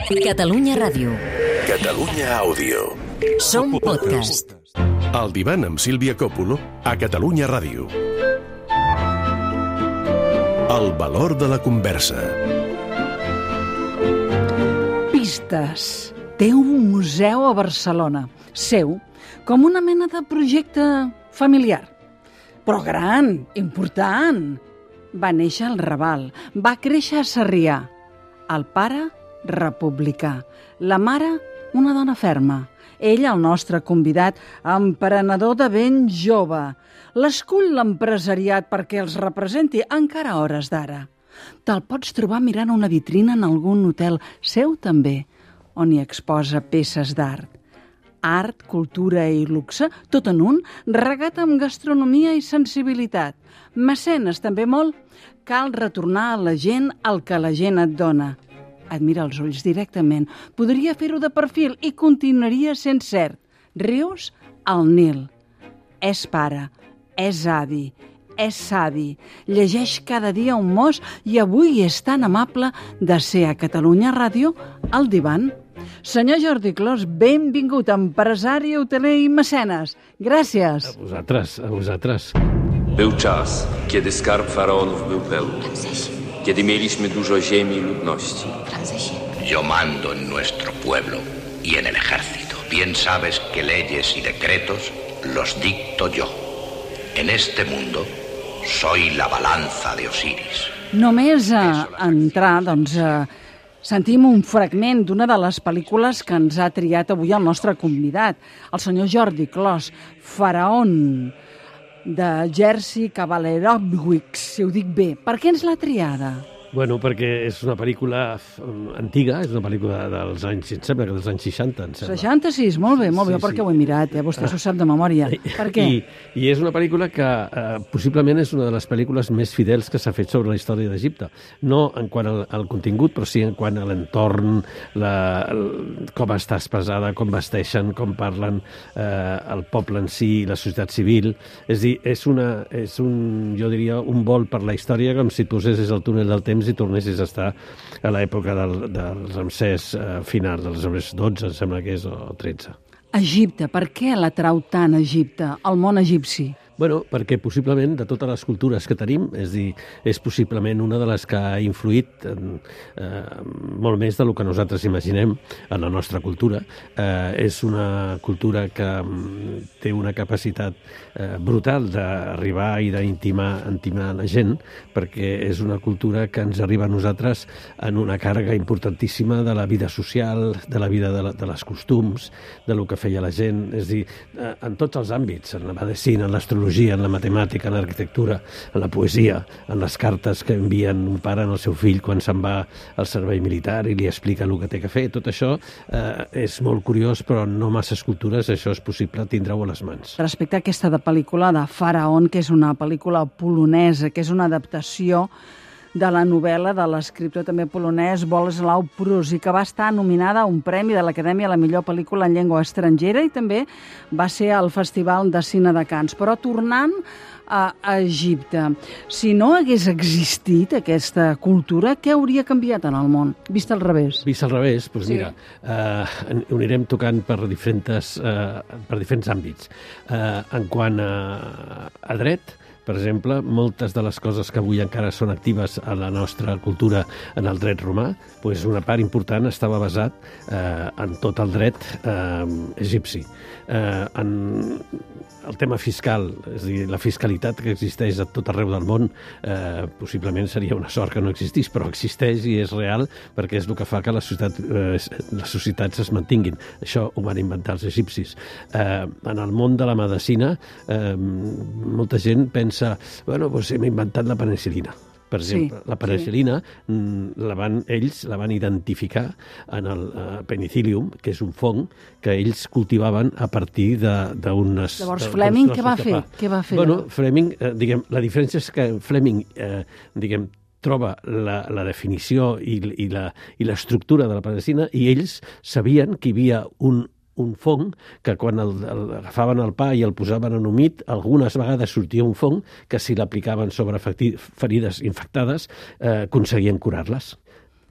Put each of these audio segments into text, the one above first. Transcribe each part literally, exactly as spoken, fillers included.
Catalunya Ràdio. Catalunya Àudio. Som podcast. El divan amb Sílvia Coppolo a Catalunya Ràdio. El valor de la conversa. Pistes. Té un museu a Barcelona, seu, com una mena de projecte familiar. Però gran, important. Va néixer al Raval, va créixer a Sarrià. El pare, republicà. La mare, una dona ferma. Ell, el nostre convidat, emprenedor de ben jove. L'escull l'empresariat perquè els representi encara a hores d'ara. Te'l pots trobar mirant una vitrina en algun hotel seu també, on hi exposa peces d'art. Art, cultura i luxe, tot en un, regat amb gastronomia i sensibilitat. Mecenes també molt. Cal retornar a la gent el que la gent et dona. Et mira els ulls directament. Podria fer-ho de perfil i continuaria sent cert. Rius al Nil. És pare, és avi, és savi. Llegeix cada dia un mos i avui és tan amable de ser a Catalunya Ràdio al divan. Senyor Jordi Clos, benvingut, empresari, hoteler i mecenes. Gràcies. A vosaltres, a vosaltres. Był czas, kiedy skarb faraonów był pełny. Kiedy mieliśmy dużo ziemi i ludności. Yo mando en nuestro pueblo y en el ejército. Bien sabes que leyes y decretos los dicto yo. En este mundo soy la balanza de Osiris. Només a entrar, doncs, a... sentim un fragment d'una de les pel·lícules que ens ha triat avui el nostre convidat, el senyor Jordi Clos, Faraón, de Jerzy Kawalerowicz, si ho dic bé. Per què ens l'ha triada? Bueno, perquè és una pel·lícula antiga, és una pel·lícula dels anys, em sembla que dels anys seixanta, em sembla. seixanta-sis, molt bé, molt bé, Sí, perquè sí. ho he mirat, eh? Vostè s'ho sap de memòria. Per què? I, I és una pel·lícula que eh, possiblement és una de les pel·lícules més fidels que s'ha fet sobre la història d'Egipte. No en quant al, al contingut, però sí en quant a l'entorn, la, el, com està expressada, com vesteixen, com parlen eh, el poble en si, la societat civil. És a dir, és, una, és un, jo diria, un vol per la història com si et posessis el túnel del temps i tornessis a estar a l'època del, dels Ramsès eh, final, dels Ramsès dotze, em sembla que és, o tretze. Egipte, per què l'atrau tant Egipte, el món egipci? Bueno, perquè possiblement de totes les cultures que tenim, és dir, és possiblement una de les que ha influït en, eh, molt més del que nosaltres imaginem en la nostra cultura. Eh, és una cultura que mm, té una capacitat eh, brutal d'arribar i d'intimar intimar la gent, perquè és una cultura que ens arriba a nosaltres en una càrrega importantíssima de la vida social, de la vida de, la, de les costums, de lo que feia la gent, és dir, eh, en tots els àmbits, en la medicina, en l'astrologia, en la matemàtica, en l'arquitectura, en la poesia, en les cartes que envien un pare al seu fill quan se'n va al servei militar i li explica el que té que fer. Tot això eh, és molt curiós, però no masses cultures això és possible tindre-ho a les mans. Respecte a aquesta de pel·lícula de Faraón, que és una pel·lícula polonesa, que és una adaptació de la novel·la de l'escriptor també polonès Bolesław Prus i que va estar nominada a un premi de l'Acadèmia a la millor pel·lícula en llengua estrangera i també va ser al Festival de Cine de Canes. Però tornant a Egipte, si no hagués existit aquesta cultura, què hauria canviat en el món? Vist al revés. Vist al revés, doncs Sí. mira, eh, ho anirem tocant per diferents, eh, per diferents àmbits. Eh, en quant a, a dret, per exemple, moltes de les coses que avui encara són actives a la nostra cultura en el dret romà, doncs una part important estava basat eh, en tot el dret eh, egipci. Eh, en el tema fiscal, és a dir, la fiscalitat que existeix a tot arreu del món, eh, possiblement seria una sort que no existís, però existeix i és real perquè és el que fa que la societat, eh, les societats es mantinguin. Això ho van inventar els egipcis. Eh, en el món de la medicina, eh, molta gent pensa bueno, doncs hem inventat la penicil·lina. Per exemple, Sí, la penicil·lina sí. la van, ells la van identificar en el uh, penicillium, que és un fong que ells cultivaven a partir d'unes... Llavors, Fleming què va fer? Què va fer? Bueno, Fleming, eh, diguem, la diferència és que Fleming, eh, diguem, troba la, la definició i, i la i l'estructura de la penicil·lina i ells sabien que hi havia un un fong que quan el, el, agafaven el pa i el posaven en humit, algunes vegades sortia un fong que si l'aplicaven sobre ferides infectades eh, aconseguien curar-les.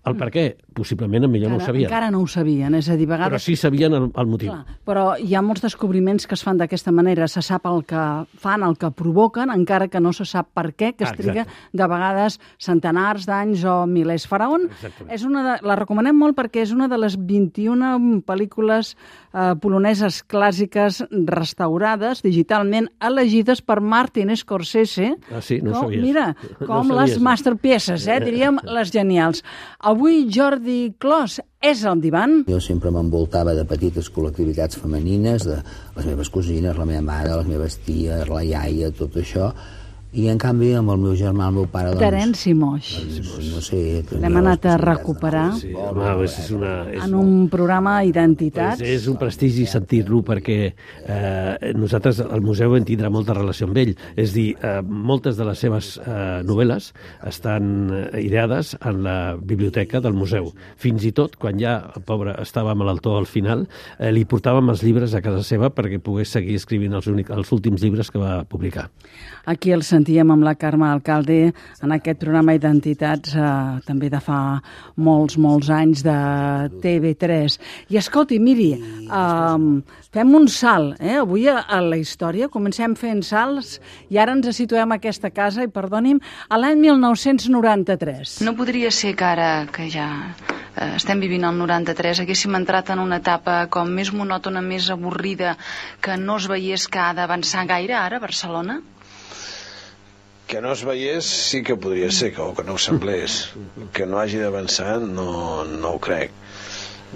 El per què? Possiblement millor no ho sabien. Encara no ho sabien, és a dir, a vegades... Però sí sabien el, el motiu. Clar, però hi ha molts descobriments que es fan d'aquesta manera. Se sap el que fan, el que provoquen, encara que no se sap per què, que es Ah, triga exacte. de vegades centenars d'anys o milers. Faraón és una de, la recomanem molt perquè és una de les vint-i-una pel·lícules eh, poloneses clàssiques restaurades, digitalment elegides per Martin Scorsese. Ah, sí? No ho com, sabies. Mira, No com sabies, les eh? masterpieces, eh, diríem les genials. Avui Jordi Clos és al divan. Jo sempre m'envoltava de petites col·lectivitats femenines, de les meves cosines, la meva mare, les meves ties, la iaia, tot això. I, en canvi, amb el meu germà, el meu pare... Doncs, Terenci Moix. doncs, no sé... L'hem anat a recuperar Sí, home, és una... És, en un programa Identitats. és, és un prestigi sentir-lo perquè eh, nosaltres, el museu, en tindrà molta relació amb ell. És dir, eh, moltes de les seves eh, novel·les estan eh, ideades en la biblioteca del museu. Fins i tot, quan ja el pobre estava malaltó al final, eh, li portàvem els llibres a casa seva perquè pogués seguir escrivint els, únic, els últims llibres que va publicar. Aquí el sentíem amb la Carme Alcalde en aquest programa Identitats, eh, també de fa molts, molts anys, de T V tres. I escolti, miri, eh, fem un salt, eh? Avui a, a la història, comencem fent salts i ara ens situem a aquesta casa, i perdoni'm, a l'any mil nou-cents noranta-tres. No podria ser que ara, que ja eh, estem vivint el noranta-tres, haguéssim entrat en una etapa com més monòtona, més avorrida, que no es veiés que ha d'avançar gaire ara a Barcelona? Que no es veiés sí que podria ser, que, o que no ho semblés. Que no hagi d'avançar no, no ho crec.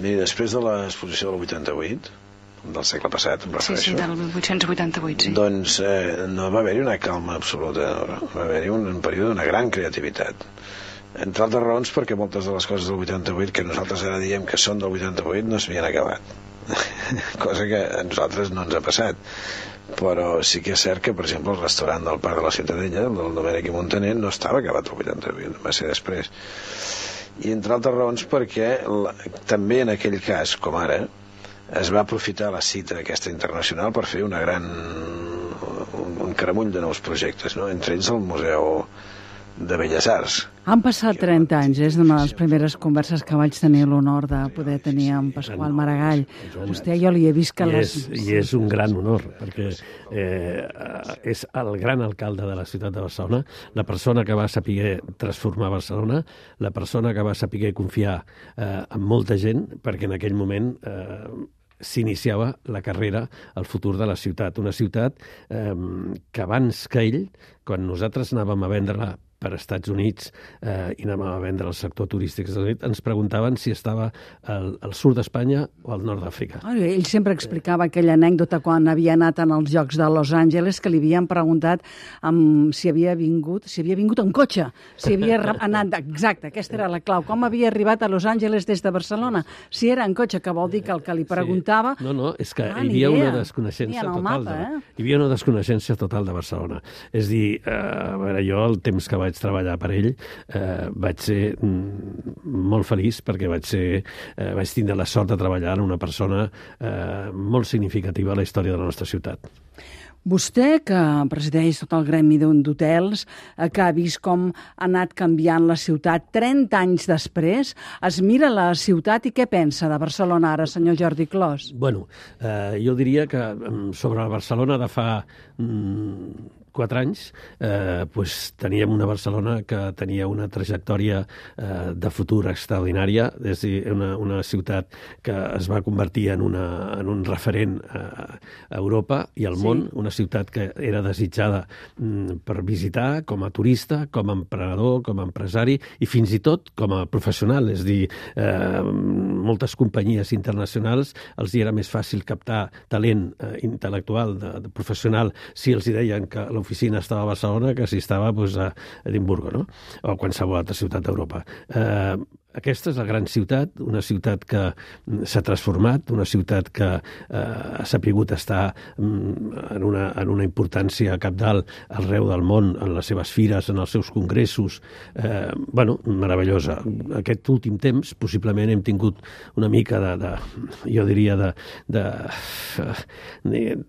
Miri, després de l'exposició del vuitanta-vuit, del segle passat, em Sí, refereixo, sí, del vuit-cents vuitanta-vuit, sí. doncs eh, no va haver-hi una calma absoluta, va haver-hi un, un període d'una gran creativitat. Entre altres raons perquè moltes de les coses del vuitanta-vuit que nosaltres ara diem que són del vuitanta-vuit no s'havien acabat. Cosa que a nosaltres no ens ha passat. Però sí que és cert que, per exemple, el restaurant del Parc de la Ciutadella, el del Domènech i Montaner, no estava acabat el vuitanta-vuit, va ser després. I entre altres raons perquè la, també en aquell cas, com ara, es va aprofitar la cita aquesta internacional per fer una gran, un, un caramull de nous projectes, no? Entre ells el Museu de Belles Arts. Han passat trenta anys, és una de les primeres converses que vaig tenir l'honor de poder tenir amb Pasqual Maragall. Vostè jo li he vist que I les... és, I és un gran honor, perquè eh, és el gran alcalde de la ciutat de Barcelona, la persona que va saber transformar Barcelona, la persona que va saber confiar eh, en molta gent, perquè en aquell moment eh, s'iniciava la carrera al futur de la ciutat. Una ciutat eh, que abans que ell, quan nosaltres anàvem a vendre-la per Estats Units eh, i anàvem a vendre el sector turístic, ens preguntaven si estava al, al sud d'Espanya o al nord d'Àfrica. Ell sempre explicava aquella anècdota quan havia anat en els Jocs de Los Angeles, que li havien preguntat um, si havia vingut si havia vingut en cotxe, si havia anat... Exacte, aquesta era la clau. Com havia arribat a Los Angeles des de Barcelona? Si era en cotxe, que vol dir que el que li preguntava... Sí. No, no, és que ah, hi havia idea. una desconeixença total. Mapa, de, eh? Hi havia una desconeixença total de Barcelona. És dir, eh, a veure, jo el temps que vaig treballar per ell eh, vaig ser mm, molt feliç perquè vaig ser eh, vaig tindre la sort de treballar en una persona eh, molt significativa a la història de la nostra ciutat. Vostè, que presideix tot el gremi d'hotels, que ha vist com ha anat canviant la ciutat trenta anys després, es mira la ciutat i què pensa de Barcelona ara, senyor Jordi Clos? Bueno, eh, jo diria que sobre la Barcelona de fa mm, quatre anys, eh, pues, teníem una Barcelona que tenia una trajectòria eh, de futur extraordinària, és a dir, una, una ciutat que es va convertir en, una, en un referent a, a Europa i al Sí. món, una ciutat que era desitjada mm, per visitar com a turista, com a emprenedor, com a empresari i fins i tot com a professional, és a dir, eh, moltes companyies internacionals els hi era més fàcil captar talent eh, intel·lectual, de, de professional, si els hi deien que l'oficina estava a Barcelona que si estava pues, a Edimburgo, no? O qualsevol altra ciutat d'Europa. Eh, Aquesta és la gran ciutat, una ciutat que s'ha transformat, una ciutat que eh, ha sapigut estar mm, en, una, en una importància cabdal arreu del món, en les seves fires, en els seus congressos. Eh, bueno, meravellosa. Aquest últim temps, possiblement, hem tingut una mica de, de jo diria, de, de,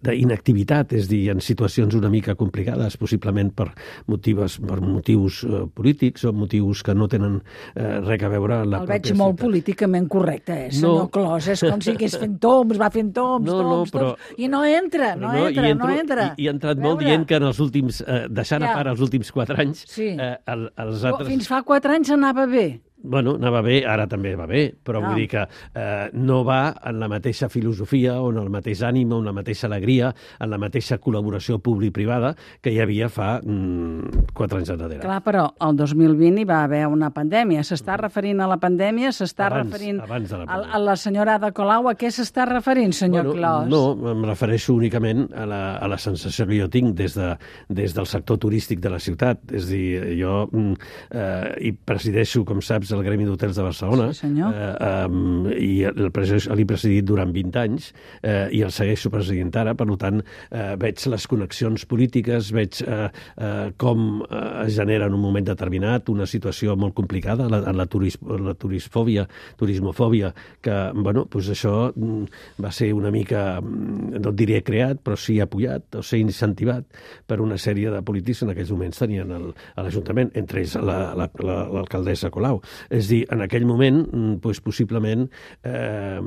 d'inactivitat, és dir, en situacions una mica complicades, possiblement per motius, per motius eh, polítics o motius que no tenen eh, res a veure veure en la El pròpia veig molt ciutat. políticament correcte, eh, senyor No. Clos. És com si hagués fent toms, va fent toms, No, no, toms, però- toms, i no entra, no, Però entra, i entro, no entra. I, i he entrat A molt veure. dient que en els últims, eh, deixant Ja. a part els últims quatre anys, Sí. eh, el, els Però altres... Fins fa quatre anys anava bé. Bueno, anava bé, ara també va bé, però Ah. vull dir que eh, no va en la mateixa filosofia, o en el mateix ànim, o en la mateixa alegria, en la mateixa col·laboració públic-privada que hi havia fa mm, quatre anys enrere. Clar, però el dos mil vint hi va haver una pandèmia. S'està referint a la pandèmia? S'està Abans, referint abans de la a, pandèmia. a la senyora Ada Colau? A què s'està referint, senyor Clos? No, em refereixo únicament a la, a la sensació que jo tinc des, de, des del sector turístic de la ciutat. És a dir, jo mm, eh, hi presideixo, com saps, el Gremi d'Hotels de Barcelona, Sí, senyor. eh, um, i el presideix- l'he presidit durant vint anys eh, i el segueixo presidint ara, per tant, eh, veig les connexions polítiques, veig eh, eh, com eh, es genera en un moment determinat una situació molt complicada, la, la, turis, la turisfòbia, turismofòbia, que, bueno, doncs això mm, va ser una mica, mm, no et diré creat, però sí apoyat o ser incentivat per una sèrie de polítics que en aquells moments tenien el, a l'Ajuntament, entre ells la- la- la- l'alcaldessa Colau. És a dir, en aquell moment, mm, doncs, possiblement eh,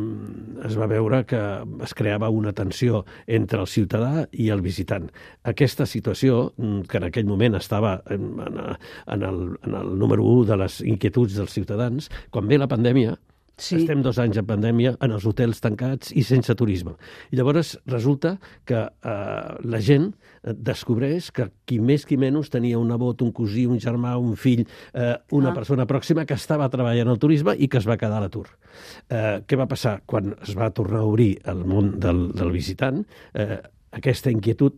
es va veure que es creava una tensió entre el ciutadà i el visitant. Aquesta situació, mm, que en aquell moment estava en, en, en, el, en el número u de les inquietuds dels ciutadans, quan ve la pandèmia, Sí. estem dos anys en pandèmia, en els hotels tancats i sense turisme. I llavors resulta que eh, la gent descobreix que qui més qui menys tenia un nebot, un cosí, un germà, un fill, eh, una Ah. persona pròxima que estava treballant al turisme i que es va quedar a l'atur. Eh, què va passar? Quan es va tornar a obrir el món del, del visitant, eh, aquesta inquietud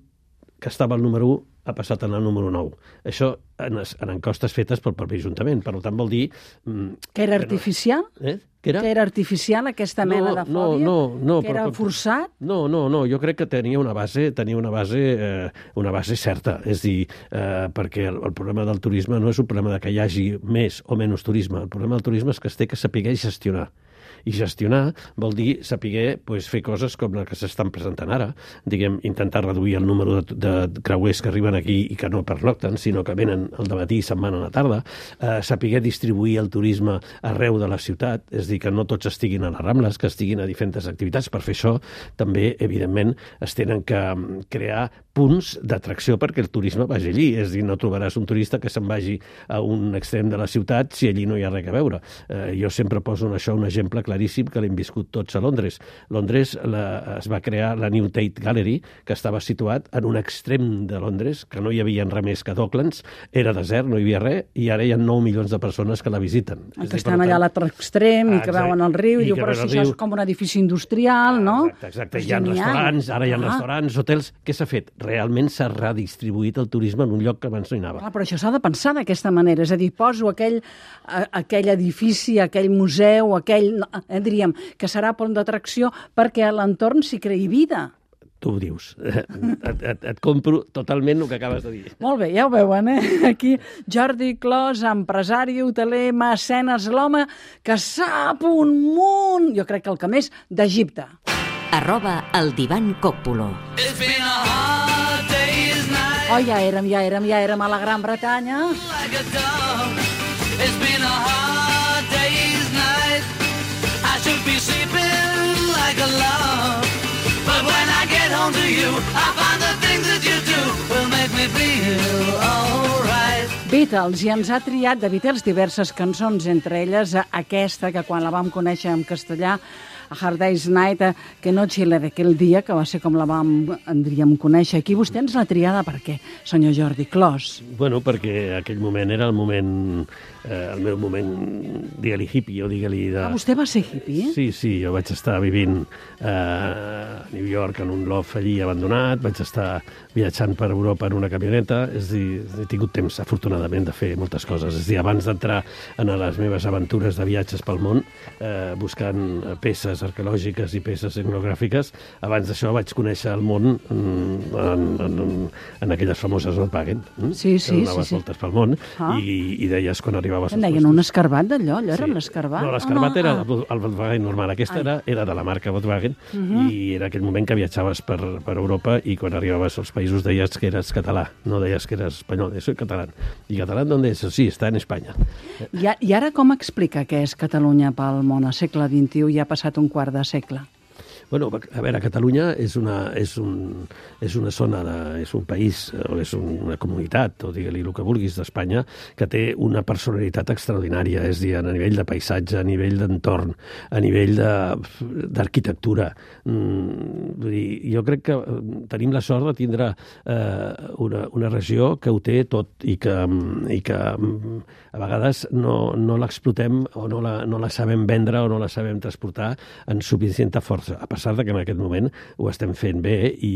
que estava al número u ha passat en el número nou. Això en, es, en encostes fetes pel propi Ajuntament. Per tant, vol dir... Mm, Que era no- artificial? Eh? Què era? Que era artificial, aquesta mena de fòbia? No, no, no. Que era però- forçat? No, no, no. Jo crec que tenia una base, tenia una base, eh, una base certa. És dir, eh, perquè el, el problema del turisme no és un problema de que hi hagi més o menys turisme. El problema del turisme és que es té que saber gestionar. I gestionar vol dir saber pues, fer coses com les que s'estan presentant ara, diguem, intentar reduir el número de, de creuers que arriben aquí i que no pernocten, sinó que venen al dematí i se'n van a la tarda, eh, saber distribuir el turisme arreu de la ciutat, és dir, que no tots estiguin a les Rambles, que estiguin a diferents activitats. Per fer això, també, evidentment, es tenen que mm, crear punts d'atracció perquè el turisme vagi allí. És a dir, no trobaràs un turista que se'n vagi a un extrem de la ciutat si allí no hi ha res a veure. Eh, jo sempre poso en això un exemple claríssim que l'hem viscut tots a Londres. Londres la, es va crear la New Tate Gallery, que estava situat en un extrem de Londres, que no hi havia res més que Docklands, era desert, no hi havia res, i ara hi ha nou milions de persones que la visiten. Que estan allà a l'altre extrem i que Exacte. veuen el riu, i I diu, que però veuen si el això riu. és com un edifici industrial, no? Exacte, exacte. Pues Hi ha genial. restaurants, ara hi ha Ah. restaurants, hotels. Què s'ha fet? Realment s'ha redistribuït el turisme en un lloc que abans no hi anava. Clar, però això s'ha de pensar d'aquesta manera, és a dir, poso aquell, a, aquell edifici, aquell museu, aquell, eh, diríem, que serà pont d'atracció perquè a l'entorn s'hi creï vida. Tu ho dius. Et, et, et compro totalment el que acabes de dir. Molt bé, ja ho veuen, eh? Aquí Jordi Clos, empresari, hoteler, mecenes, l'home que sap un munt, jo crec que el que més, d'Egipte. Arroba el divan Còpolo. Oh, ja érem, ja érem, ja érem a la Gran Bretanya. Beatles, i ens ha triat de Beatles diverses cançons, entre elles aquesta, que quan la vam conèixer en castellà, A Hard Day's Night, que noche d'aquell dia, que va ser com la vam, en diríem, conèixer. Aquí vostè ens l'ha triada per què, senyor Jordi Clos? Bueno, perquè aquell moment era el moment, eh, el meu moment, digue-li hippie, o digue-li de... Ah, vostè va ser hippie? Sí, sí, jo vaig estar vivint eh, a New York en un loft allí abandonat, vaig estar viatjant per Europa en una camioneta, és a dir, he tingut temps, afortunadament, de fer moltes coses. És a dir, abans d'entrar en les meves aventures de viatges pel món, eh, buscant peces arqueològiques i peces etnogràfiques, abans d'això vaig conèixer el món en, en, en, en aquelles famoses Volkswagen, hm? Sí, sí, que donaves sí, sí. voltes pel món, Ah. i, i deies quan arribaves... En als deien puestos- un escarbat d'allò, allò era un escarbat? no, l'escarbat Oh, era ah. el, el Volkswagen normal. Aquesta Ai. era, era de la marca Volkswagen Mhm. i era aquell moment que viatjaves per, per Europa i quan arribaves als països deies que eres català, no deies que eres espanyol, soy català. I catalán dónde es? Sí, está en España. I, I ara com explica què és Catalunya pel món al segle vint-i-u i ha passat un quart de segle? Bueno, a veure, Catalunya és una, és un, és una zona, de, és un país, o és una comunitat, o digue-li el que vulguis, d'Espanya, que té una personalitat extraordinària, és a dir, a nivell de paisatge, a nivell d'entorn, a nivell d'arquitectura. Mm, vull dir, jo crec que tenim la sort de tindre eh, una, una regió que ho té tot i que, i que a vegades no, no l'explotem o no la, no la sabem vendre o no la sabem transportar en suficient força. A pesar de que en aquest moment ho estem fent bé i,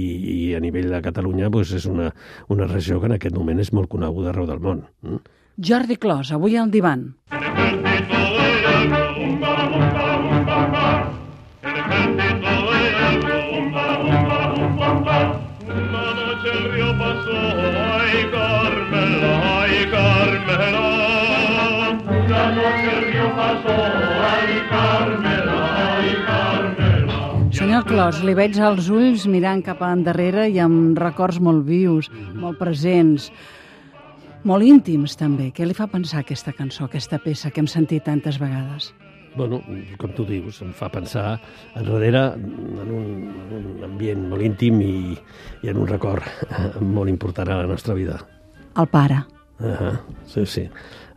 i a nivell de Catalunya doncs és una, una regió que en aquest moment és molt coneguda arreu del món. Mm? Jordi Clos, avui al divan. Una noche el río pasó, ay Carmela, ay Carmela. Una noche el río pasó, ay Carmela, ay Carmela. Senyor Clos, li veig als ulls mirant cap endarrere i amb records molt vius, molt presents, molt íntims també. Què li fa pensar aquesta cançó, aquesta peça que hem sentit tantes vegades? Bueno, com tu dius, em fa pensar enrere en un, en un ambient molt íntim i, i en un record molt important a la nostra vida. El pare. Uh-huh. Sí, sí,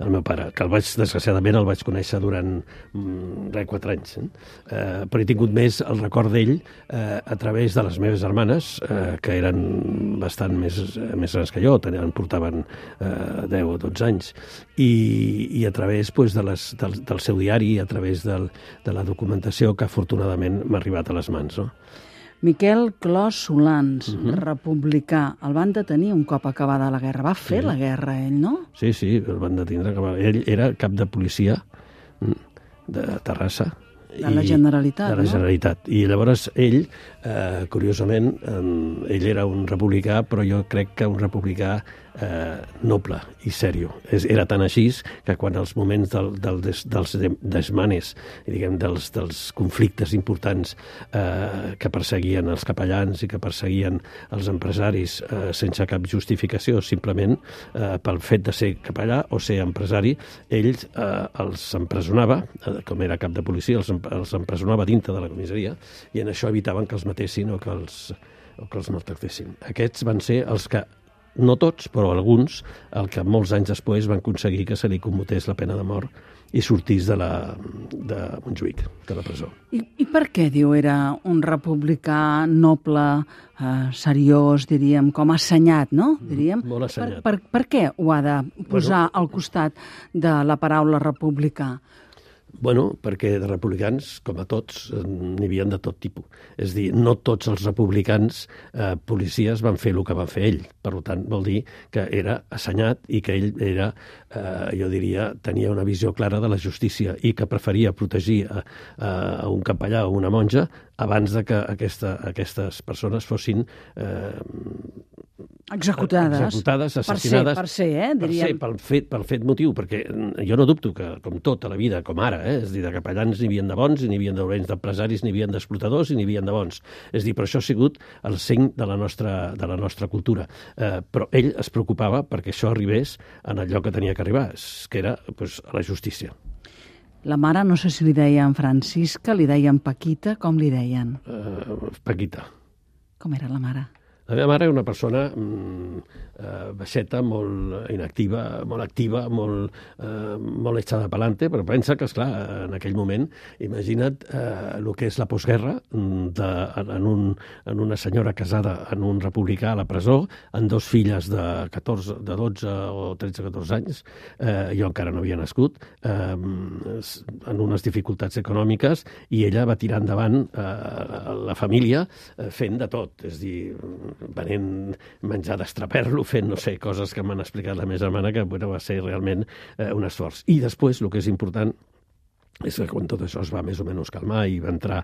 el meu pare, que el vaig, desgraciadament, el vaig conèixer durant mm, res, quatre anys. Eh? Uh, però he tingut més el record d'ell uh, a través de les meves germanes, uh, que eren bastant més, més grans que jo, tenien, portaven uh, deu o dotze anys, i, i a través pues, de les, del, del seu diari, a través del, de la documentació que afortunadament m'ha arribat a les mans, no? Miquel Clos Solans, Uh-huh. republicà, el van detenir un cop acabada la guerra. Va fer Sí. la guerra, ell, no? Sí, sí, el van detindre. Ell era cap de policia de Terrassa. De la Generalitat, De la no? Generalitat. I llavors ell, eh, curiosament, eh, ell era un republicà, però jo crec que un republicà eh, noble i sèrio. És, era tan així que quan els moments del, del des, dels desmanes, diguem, dels, dels conflictes importants eh, que perseguien els capellans i que perseguien els empresaris eh, sense cap justificació, simplement eh, pel fet de ser capellà o ser empresari, ell eh, els empresonava, eh, com era cap de policia, els, els empresonava dintre de la comissaria i en això evitaven que els matessin o que els, o que els maltractessin. Aquests van ser els que, no tots, però alguns, el que molts anys després van aconseguir que se li commutés la pena de mort i sortís de, la, de Montjuïc, de la presó. I, I per què, diu, era un republicà noble, eh, seriós, diríem, com assenyat, no? Diríem. Molt assenyat. Per, per, per què ho ha de posar Bueno, al costat de la paraula republicà? Bueno, perquè de republicans, com a tots, n'hi havia de tot tipus. És a dir, no tots els republicans eh, policies van fer el que va fer ell. Per tant, vol dir que era assenyat i que ell era, eh, jo diria, tenia una visió clara de la justícia i que preferia protegir a, a un capellà o una monja abans de que aquesta, aquestes persones fossin eh, Executades. executades, assassinades. Per ser, per ser, eh, diríem. Per ser, pel fet, pel fet motiu, perquè jo no dubto que, com tota la vida, com ara, eh, és a dir, de capellans n'hi havia de bons, i n'hi havia de dolents, d'empresaris n'hi havia d'explotadors i n'hi havia de bons. És a dir, però això ha sigut el seny de la nostra, de la nostra cultura. Eh, però ell es preocupava perquè això arribés en el lloc que tenia que arribar, que era pues, a la justícia. La mare, no sé si li deien Francisca, li deien Paquita, com li deien? Uh, Paquita. Com era la mare? La meva mare era una persona mm, eh, baixeta, molt inactiva, molt activa, molt, eh, molt echada pa'lante, però pensa que, esclar, en aquell moment, imagina't eh, el que és la postguerra de, en, un, en una senyora casada en un republicà a la presó, amb dos filles de, catorze, de dotze o tretze catorze anys, eh, jo encara no havia nascut, eh, en unes dificultats econòmiques, i ella va tirar endavant eh, la família eh, fent de tot, és a dir, venent menjar d'estraper-lo, fent, no sé, coses que m'han explicat la meva germana, que bueno, va ser realment eh, un esforç. I després, el que és important, és que quan tot això es va més o menys calmar i va entrar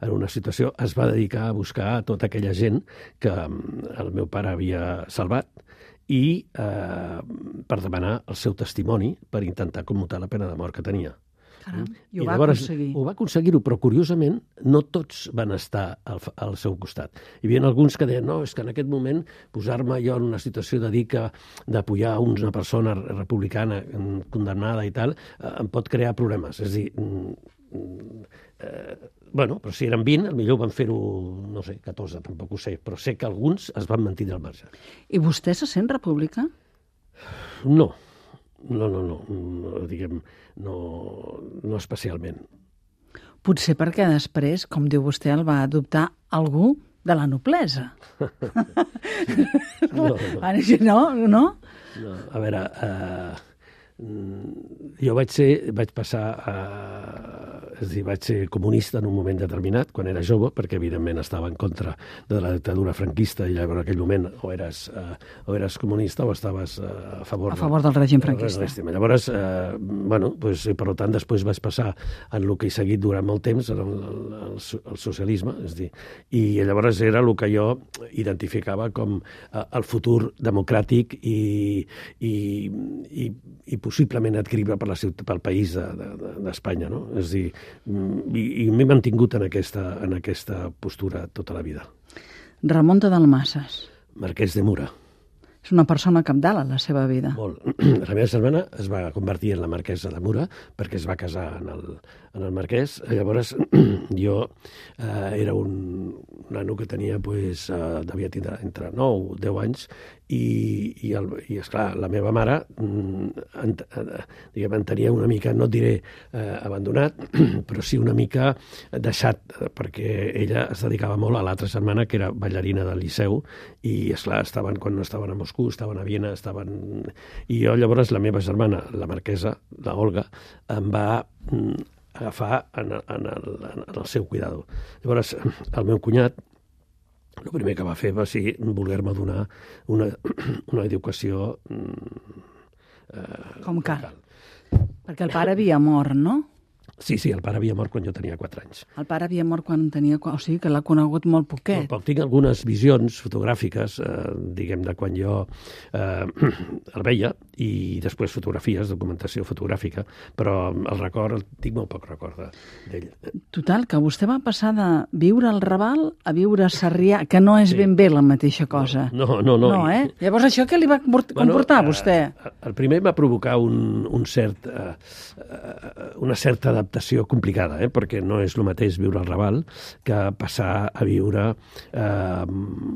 en una situació, es va dedicar a buscar a tota aquella gent que el meu pare havia salvat i eh, per demanar el seu testimoni per intentar commutar la pena de mort que tenia. Caram, i I ho va llavors, aconseguir. Ho va aconseguir-ho, però curiosament no tots van estar al, al seu costat. Hi havia alguns que deien, no, és que en aquest moment posar-me jo en una situació de dir que d'apoyar una persona republicana condemnada i tal, eh, em pot crear problemes. És a dir, eh, bueno, però si eren vint, potser van fer-ho, no sé, catorze, tampoc ho sé, però sé que alguns es van mantenir al marge. I vostè se sent republicà? No, no, no, no, no diguem, no, no especialment. Potser perquè després, com diu vostè, el va adoptar algú de la noblesa. No, no. No, no? No, a veure, eh, jo vaig ser, vaig passar a... És a dir, vaig ser comunista en un moment determinat, quan era jove, perquè evidentment estava en contra de la dictadura franquista i llavors en aquell moment o eres, eh, o eres comunista o estaves eh, a favor, a favor del règim franquista. Del llavors, eh, bueno, pues, per tant, després vaig passar en el que he seguit durant molt temps, el, el, el, el socialisme, és a dir, i llavors era el que jo identificava com eh, el futur democràtic i, i, i, i possiblement adquirible per la ciutat, pel país d'Espanya, no? És a dir, i, i m'he mantingut en aquesta, en aquesta postura tota la vida. Ramon de Dalmases. Marquès de Mura. És una persona cabdal a la seva vida. Molt. La meva germana es va convertir en la marquesa de Mura perquè es va casar en el, en el marquès. Llavors jo eh, era un, un nano que tenia, pues, eh, devia tindre entre nou o deu anys i, i, el, i esclar, la meva mare en, diguem, en tenia una mica, no et diré eh, abandonat, però sí una mica deixat, perquè ella es dedicava molt a l'altra germana, que era ballarina del Liceu, i esclar, estaven, quan no estaven a Moscou, estaven a Viena, estaven... I jo llavors la meva germana, la marquesa, la Olga, em va agafar en el, en el, en el seu cuidado. Llavors, el meu cunyat, el primer que va fer va ser voler-me donar una, una educació... Eh, Com cal. Perquè el pare havia mort, no? Sí, sí, el pare havia mort quan jo tenia quatre anys. El pare havia mort quan tenia... O sigui, que l'ha conegut molt poquet. No, tinc algunes visions fotogràfiques, eh, diguem, de quan jo eh, el veia, i després fotografies, documentació fotogràfica, però el record, el tinc molt poc record d'ell. Total, que vostè va passar de viure al Raval a viure a Sarrià, que no és sí. ben bé la mateixa cosa. No, no, no. No, eh? Llavors, això què li va comportar bueno, a vostè? Eh, el primer va provocar un, un cert, eh, una certa adaptació complicada, eh? Perquè no és el mateix viure al Raval que passar a viure eh,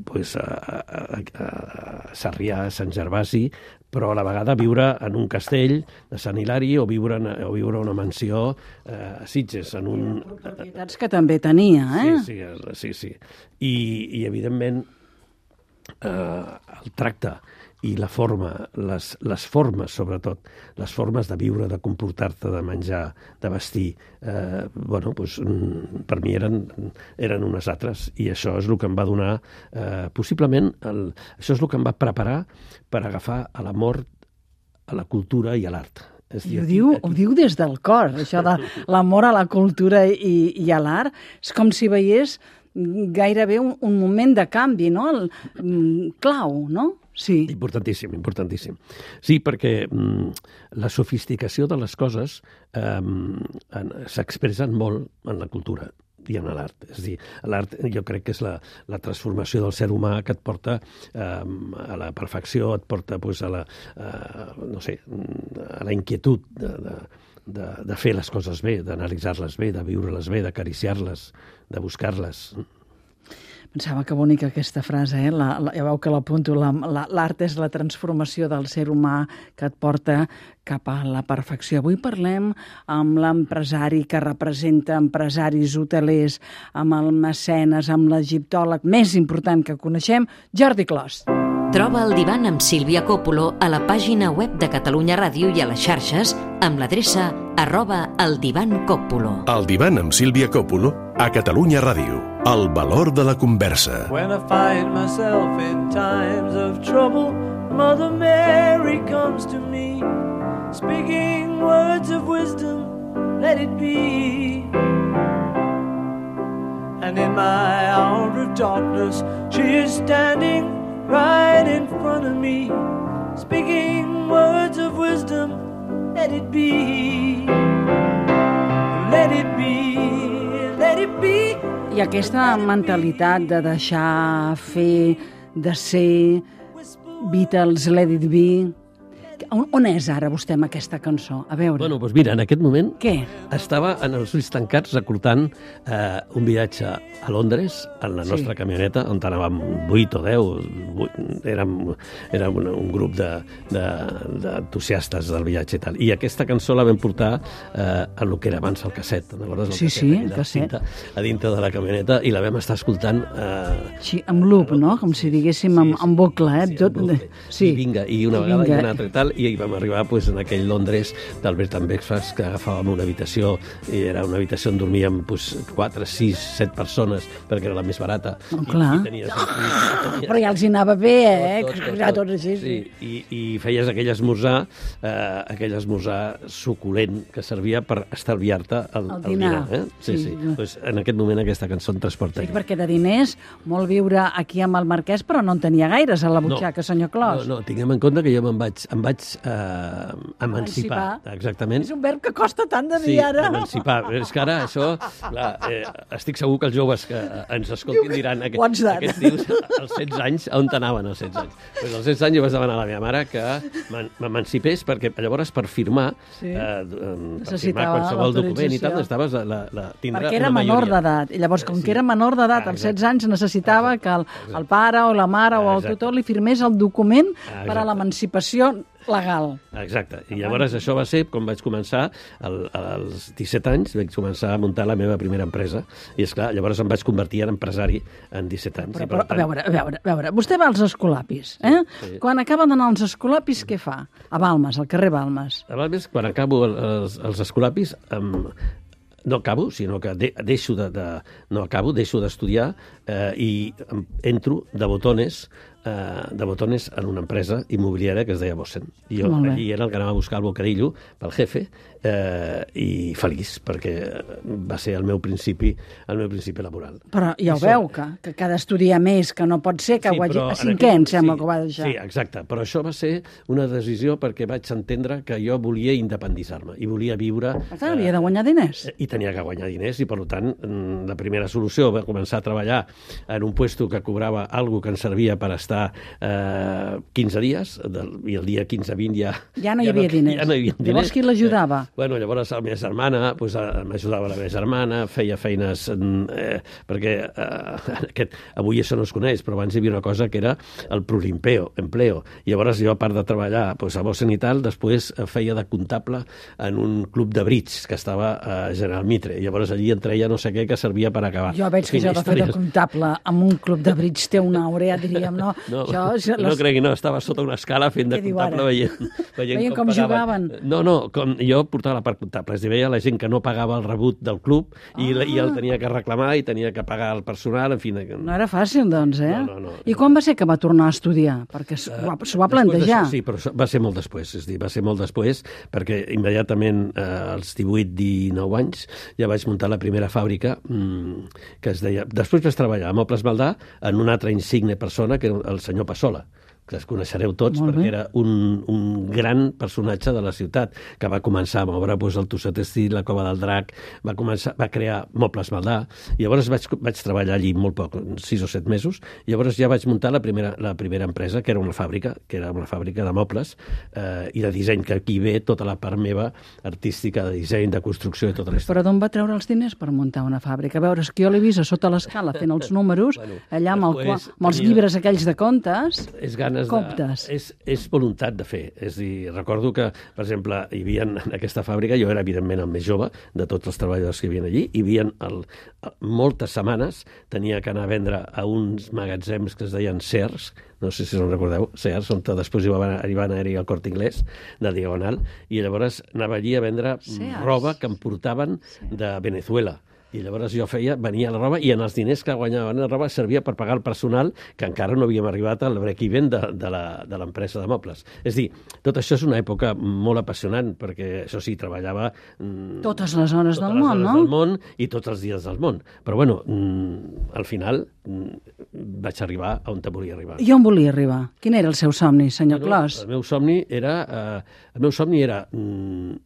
pues, a, a, a Sarrià, a Sant Gervasi, però a la vegada viure en un castell de Sant Hilari o viure en, o viure en una mansió eh, a Sitges. En un... propietats que també tenia, eh? Sí, sí, sí. sí. I, i evidentment, eh, el tracte i la forma, les, les formes, sobretot, les formes de viure, de comportar-te, de menjar, de vestir, eh, bueno, doncs, per mi eren, eren unes altres, i això és el que em va donar, eh, possiblement, el, això és el que em va preparar per agafar a l'amor, a la cultura i a l'art. I ho diu, ho diu des del cor, això de l'amor a la cultura i, i a l'art. És com si veiés gairebé un, un moment de canvi, no? El, um, clau, no? Sí. Importantíssim, importantíssim. Sí, perquè mm, la sofisticació de les coses eh, s'expressen molt en la cultura i en l'art. És a dir, l'art jo crec que és la, la transformació del ser humà que et porta eh, a la perfecció, et porta pues, a la, eh, no sé, a la inquietud de, de, de, de fer les coses bé, d'analitzar-les bé, de viure-les bé, d'acariciar-les, de buscar-les. Pensava que bonica aquesta frase, eh? La, la, ja veu que l'apunto, l'art la, la, és la transformació del ser humà que et porta cap a la perfecció. Avui parlem amb l'empresari que representa empresaris hotelers, amb el mecenes, amb l'egiptòleg més important que coneixem, Jordi Clos. Troba el divan amb Sílvia Coppola a la pàgina web de Catalunya Ràdio i a les xarxes amb l'adreça arroba el divan Coppola. El divan amb Sílvia Coppola a Catalunya Ràdio. El valor de la conversa. When I find myself in times of trouble, Mother Mary comes to me, speaking words of wisdom, let it be. And in my hour of darkness, she is standing right in front of me, speaking words of wisdom, let it be. let it be, let it be. I aquesta mentalitat de deixar fer, de ser, Beatles, Let It Be... On, on és ara vostè amb aquesta cançó? A veure. Bueno, doncs mira, en aquest moment Què? estava en els ulls tancats reclutant eh, un viatge a Londres, en la nostra Sí. camioneta, on anàvem vuit o deu, vuit, érem, érem un, un grup d'entusiastes de, de, del viatge i tal. I aquesta cançó la vam portar eh, en el que era abans el casset, te'n recordes? El Sí, casset, sí, aquell de casset. cinta, a dintre de la camioneta, i la vam estar escoltant... Eh, Sí, amb loop, no? Com si diguéssim amb, amb bucle, eh? Sí, Tot... amb bucle. Sí. I vinga, i una I vegada vinga. i una altra i tal, i hi vam arribar pues, en aquell Londres del Bed and Breakfast, que agafàvem una habitació, i era una habitació on dormíem pues, quatre, sis, set persones, perquè era la més barata. Oh, I, clar. i tenies, i, tenies, Però ja els hi anava bé, eh? tot, tot, Ja tot. tots així, sí. Sí, i, i feies aquell esmorzar, eh, aquell esmorzar suculent que servia per estalviar-te el, El dinar. eh? Sí, Sí. sí. Pues, en aquest moment aquesta cançó em transporta. Sí, perquè de diners, molt viure aquí amb el Marquès, però no en tenia gaires a la butxaca, senyor Clos. No, no, tinguem en compte que jo me'n vaig, em vaig eh, emancipar. Emancipar. Exactament. És un verb que costa tant de dir Sí, ara. emancipar. És que ara això, clar, eh, estic segur que els joves que ens escoltin diran aquest, Quants d'ara? aquests tios als setze anys, on anaven als setze anys? Pues als setze anys jo vaig demanar a la meva mare que m'en- m'emancipés, perquè llavors per firmar, Sí. eh, per firmar Necessitava qualsevol document i tal, l'autorització. necessitaves la, la, la, tindre Perquè era una menor majoria. d'edat. I llavors, com Sí. que era menor d'edat, Ah, als exacte. setze anys necessitava que el, el pare o la mare o el Exacte. tutor li firmés el document Ah, per a exacte. l'emancipació legal. Exacte. I llavors això va ser com vaig començar, el, als disset anys, vaig començar a muntar la meva primera empresa. I, esclar, llavors em vaig convertir en empresari en disset anys. Però, I, per però a tant, veure, a veure, a veure, vostè va als Escolapis, eh? sí. Quan acaba d'anar als Escolapis, què fa? A Balmes, al carrer Balmes. A més, quan acabo el- els, els escolapis, em, no acabo, sinó que de, deixo de, de... No acabo, deixo d'estudiar eh, i em, entro de botones eh, de botones en una empresa immobiliària que es deia Bossen. I jo Molt bé. allí era el que anava a buscar el bocadillo pel jefe eh, i feliç, perquè va ser el meu principi, el meu principi laboral. Però ja ho Això- veu, que, que cada estudiar més, que no pot ser, que ho hagi... però A en cinquè, aquell- em sembla sí, que ho va deixar. Sí, exacte. Però això va ser una decisió perquè vaig entendre que jo volia independitzar-me i volia viure... Per tant, havia de guanyar diners. I tenia que guanyar diners i, per tant, mm, la primera solució va començar a treballar en un puesto que cobrava algo que ens servia per estar eh, quinze dies, del, i el dia quinze vint ja... Ja no hi havia diners. Ja no hi havia diners. Llavors, qui l'ajudava? Eh, bueno, llavors la meva germana, pues, eh, m'ajudava la meva germana, feia feines... mm, Eh, perquè eh, aquest, avui això no es coneix, però abans hi havia una cosa que era el prolimpeo, empleo. I llavors jo, a part de treballar pues, a Bossen i tal, després eh, feia de comptable en un club de bridge que estava a General Mitre. I llavors allí entreia no sé què que servia per acabar. Jo veig que Fina jo de fer de història. comptable amb un club de bridge té una aurea, diríem, no? No, Això, és no les- cregui, no, estava sota una escala fent de Què diu comptable ara? veient, veient, Veient com pagaven. jugaven. No, no, com jo portava la part comptable, és a dir, veia la gent que no pagava el rebut del club i, ah. i el tenia que reclamar i tenia que pagar el personal, en fi... Que... No era fàcil, doncs, eh? No, no, no. I quan va ser que va tornar a estudiar? Perquè s'ho va, s'ho va Després plantejar. d'això, sí, però això va ser molt després, és a dir, va ser molt després, perquè immediatament eh, als divuit dinou anys ja vaig muntar la primera fàbrica mmm, que es deia... Després vaig treballar a Mobles Maldà en una altra insigne persona, que era el senyor Passola, que es coneixereu tots Molt perquè bé. era un, un gran personatge de la ciutat, que va començar a moure doncs, el Tosset Estil, la Cova del Drac, va, començar, va crear Mobles Maldà, i llavors vaig, vaig treballar allí molt poc, sis o set mesos, i llavors ja vaig muntar la primera, la primera empresa, que era una fàbrica, que era una fàbrica de mobles eh, i de disseny, que aquí ve tota la part meva artística, de disseny, de construcció i tota la història. Però d'on va treure els diners per muntar una fàbrica? A veure, és que jo l'he vist a sota l'escala fent els números, Bueno, allà amb, el, després amb els tenia- llibres aquells de contes, És ganes comptes. de... És, és voluntat de fer. És a dir, recordo que, per exemple, hi havia en aquesta fàbrica, jo era evidentment el més jove de tots els treballadors que hi havia allí, hi havia el, moltes setmanes tenia que anar a vendre a uns magatzems que es deien Sears, no sé si se'n recordeu, Sears, on després hi va arribar a anar-hi al Corte Inglés, de Diagonal, i llavors anava allí a vendre Sears. roba que em portaven de Venezuela. I llavors jo feia, venia la roba i en els diners que guanyaven la roba servia per pagar el personal que encara no havíem arribat al break-even de, de la- de l'empresa de mobles. És a dir, tot això és una època molt apassionant perquè, això sí, treballava... mm, totes les hores totes del les món, hores no? del món i tots els dies del món. Però, bueno, mm, al final mm, vaig arribar a on te volia arribar. I on volia arribar? Quin era el seu somni, senyor Bueno, Clos? El meu somni era... Eh, el meu somni era... Mm,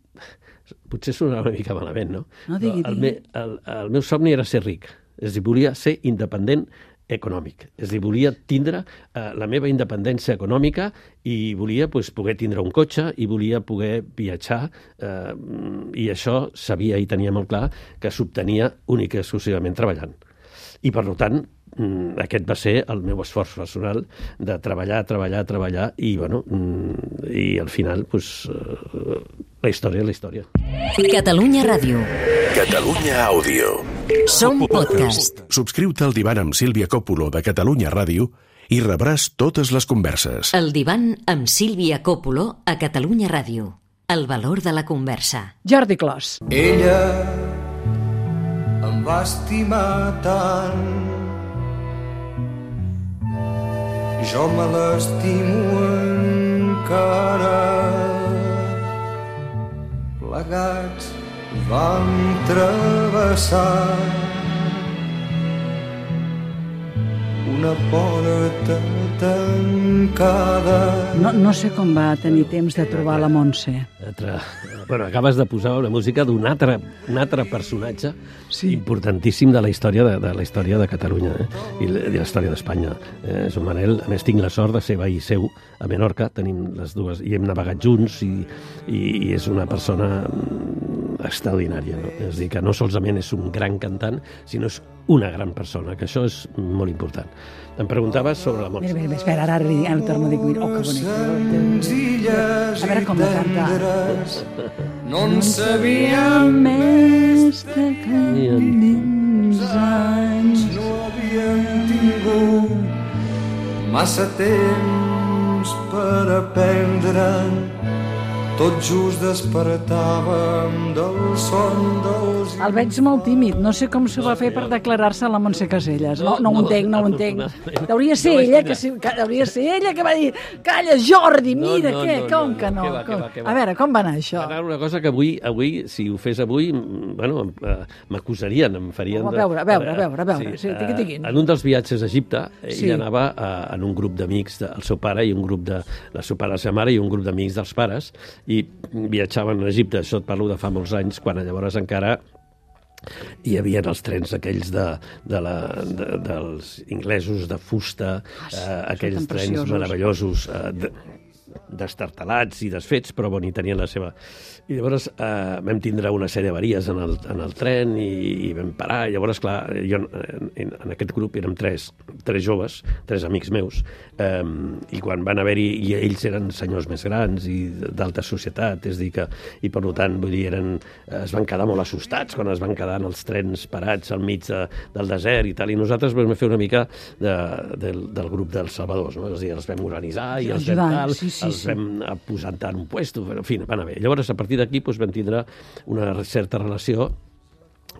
potser sonarà una mica malament, no? No, digui, el, digui. me, el, el meu somni era ser ric, és a dir, volia ser independent econòmic, és a dir, volia tindre eh, la meva independència econòmica i volia pues, poder tindre un cotxe i volia poder viatjar eh, i això sabia i tenia molt clar que s'obtenia únic i exclusivament treballant. I per tant, aquest va ser el meu esforç personal de treballar, treballar, treballar i, bueno, i al final, pues, la història és la història. Catalunya Ràdio. Catalunya Àudio. Som podcast. Subscriu-te al Divan amb Sílvia Coppola de Catalunya Ràdio i rebràs totes les converses. El Divan amb Sílvia Coppola a Catalunya Ràdio. El valor de la conversa. Jordi Clos. Ella em va estimar tant, jo me l'estimo encara. Plegats vam travessar una porta tancada. No, no sé com va tenir temps de trobar la Montse. Altre, bueno, acabes de posar una música d'un altre, un altre personatge sí. importantíssim de la història de, de la història de Catalunya eh? I de la història d'Espanya. Eh, Joan Manel, a més, tinc la sort de ser veí seu a Menorca, tenim les dues, i hem navegat junts i, i, i és una persona extraordinària, no? És a dir, que no solament és un gran cantant, sinó és una gran persona, que això és molt important. Em preguntaves sobre la Montse. Mira, mira, espera, ara, ara, ara torno a dir, oh, que bonic. A veure com la canta. No en sabíem més de quants anys no havíem tingut massa temps per aprendre. Tot just despertàvem del son dels... El veig molt tímid, no sé com s'ho va fer per declarar-se a la Montse Caselles. No, no ho entenc, no ho entenc. Hauria ser ella que hauria ser ella que va dir calla, Jordi, mira, què, com que no? A veure, com va anar això? Va anar una cosa que avui, avui si ho fes avui, bueno, m'acusarien, em farien... A veure, a veure, a veure, a veure, sí, tiqui, tiqui. En un dels viatges a Egipte, ell anava en un grup d'amics del seu pare i un grup de la seu pare i la seva mare i un grup d'amics dels pares, i viatjaven a Egipte, això et parlo de fa molts anys, quan llavors encara hi havia els trens aquells de, de la, de, dels inglesos de fusta, eh, aquells trens meravellosos, eh, de, destartalats i desfets, però bon, hi tenien la seva... I llavors eh, vam tindre una sèrie d'avaries en, el, en el tren i, i vam parar. I llavors, clar, jo en, en aquest grup érem tres, tres joves, tres amics meus, eh, i quan van haver-hi, i ells eren senyors més grans i d'alta societat, és dir que, i per tant, vull dir, eren, es van quedar molt assustats quan es van quedar en els trens parats al mig de, del desert i tal, i nosaltres vam fer una mica de, del, del grup dels salvadors, no? És a dir, els vam organitzar i els vam tal, sí, sí, els vam sí. posar en un puesto, en fi, van a bé. Llavors, a partir d'aquí doncs, vam tindre una certa relació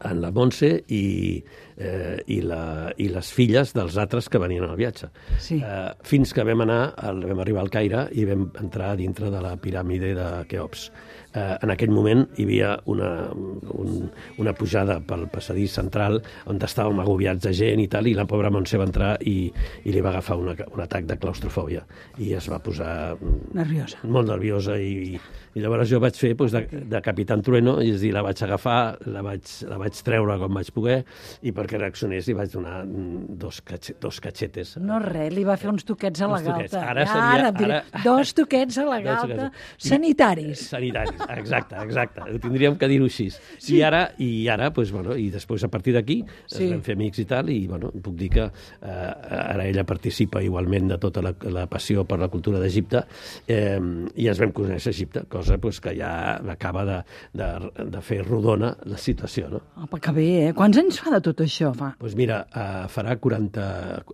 en la Montse i, eh, i, la, i les filles dels altres que venien al viatge. Sí. Eh, fins que vam anar, al, vam arribar al Caire i vam entrar dintre de la piràmide de Keops. Eh, en aquell moment hi havia una, un, una pujada pel passadís central on estàvem agobiats de gent i tal, i la pobra Montse va entrar i, i li va agafar una, un atac de claustrofòbia i es va posar nerviosa. molt nerviosa i, i llavors jo vaig fer doncs, de, de Capitán Trueno, és a dir, la vaig agafar, la vaig, la vaig treure com vaig poder i perquè reaccionés li vaig donar dos, catxe, dos catxetes. No res, li va fer uns toquets a la galta. Ara seria... Ara, ara... Dos toquets a la galta sanitaris. Sanitaris, exacte, exacte. Ho tindríem que dir-ho així. Sí. I ara, i ara doncs, bueno, i després a partir d'aquí sí. es vam fer amics i tal, i bueno, puc dir que eh, ara ella participa igualment de tota la, la passió per la cultura d'Egipte eh, i ens vam conèixer a Egipte, cosa pues, que ja acaba de, de, de fer rodona la situació, no? Apa, que bé, eh? Quants anys fa de tot això, fa? Doncs pues mira, uh, farà quaranta...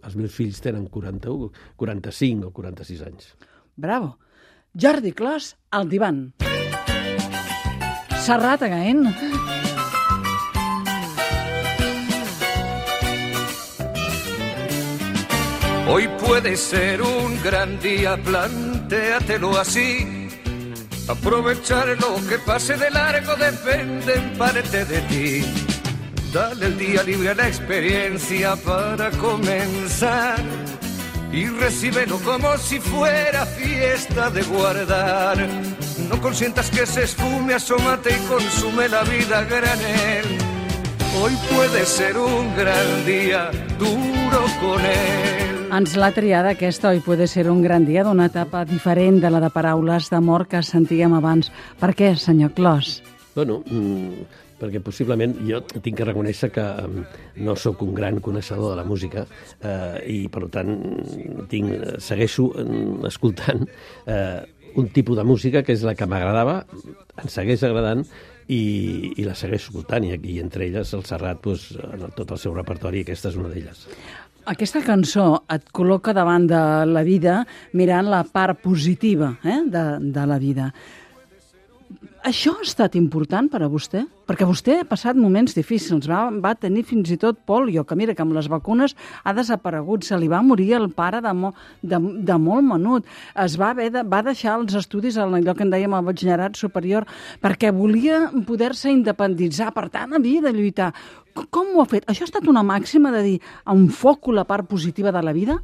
Els meus fills tenen quaranta-u, quaranta-cinc o quaranta-sis anys. Bravo. Jordi Clos, al divan. Serrat again. Hoy puede ser un gran día, plantéatelo así. Aprovechar lo que pase de largo depende en parte de ti. Dale el día libre a la experiencia para comenzar y recíbelo como si fuera fiesta de guardar. No consientas que se esfume, asómate y consume la vida a granel. Hoy puede ser un gran día, duro con él. Ens l'ha triada aquesta, oi, puede ser un gran dia, d'una etapa diferent de la de paraules d'amor que sentíem abans. Per què, senyor Clos? Bueno, mmm, perquè possiblement jo tinc que reconèixer que no sóc un gran coneixedor de la música eh, i, per tant, tinc, segueixo escoltant eh, un tipus de música que és la que m'agradava, em segueix agradant i, i la segueix escoltant, i aquí entre elles el Serrat, doncs, en tot el seu repertori, aquesta és una d'elles. Aquesta cançó et col·loca davant de la vida mirant la part positiva eh, de, de la vida. Això ha estat important per a vostè? Perquè vostè ha passat moments difícils, va, va tenir fins i tot pòlio, que mira que amb les vacunes ha desaparegut, se li va morir el pare de, mo, de, de molt menut, es va, haver de, va deixar els estudis en allò que en dèiem el batxillerat superior, perquè volia poder-se independitzar, per tant havia de lluitar. Com ho ha fet? Això ha estat una màxima de dir, enfoco la part positiva de la vida?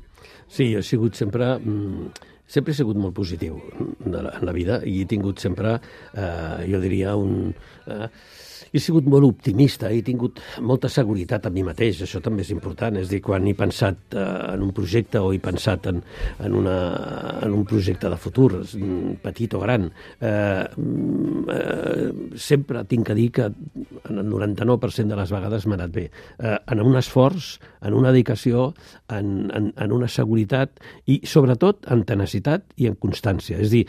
Sí, he sigut sempre... Mm, sempre he sigut molt positiu en la, en la vida i he tingut sempre, eh, jo diria, un... Eh, he sigut molt optimista, he tingut molta seguretat en mi mateix, això també és important, és a dir, quan he pensat eh, en un projecte o he pensat en, en, una, en un projecte de futur, petit o gran, eh, eh, sempre tinc que dir que en el noranta-nou per cent de les vegades m'ha anat bé. Eh, en un esforç, en una dedicació, en, en, en una seguretat i, sobretot, en tenacitat i en constància. És a dir,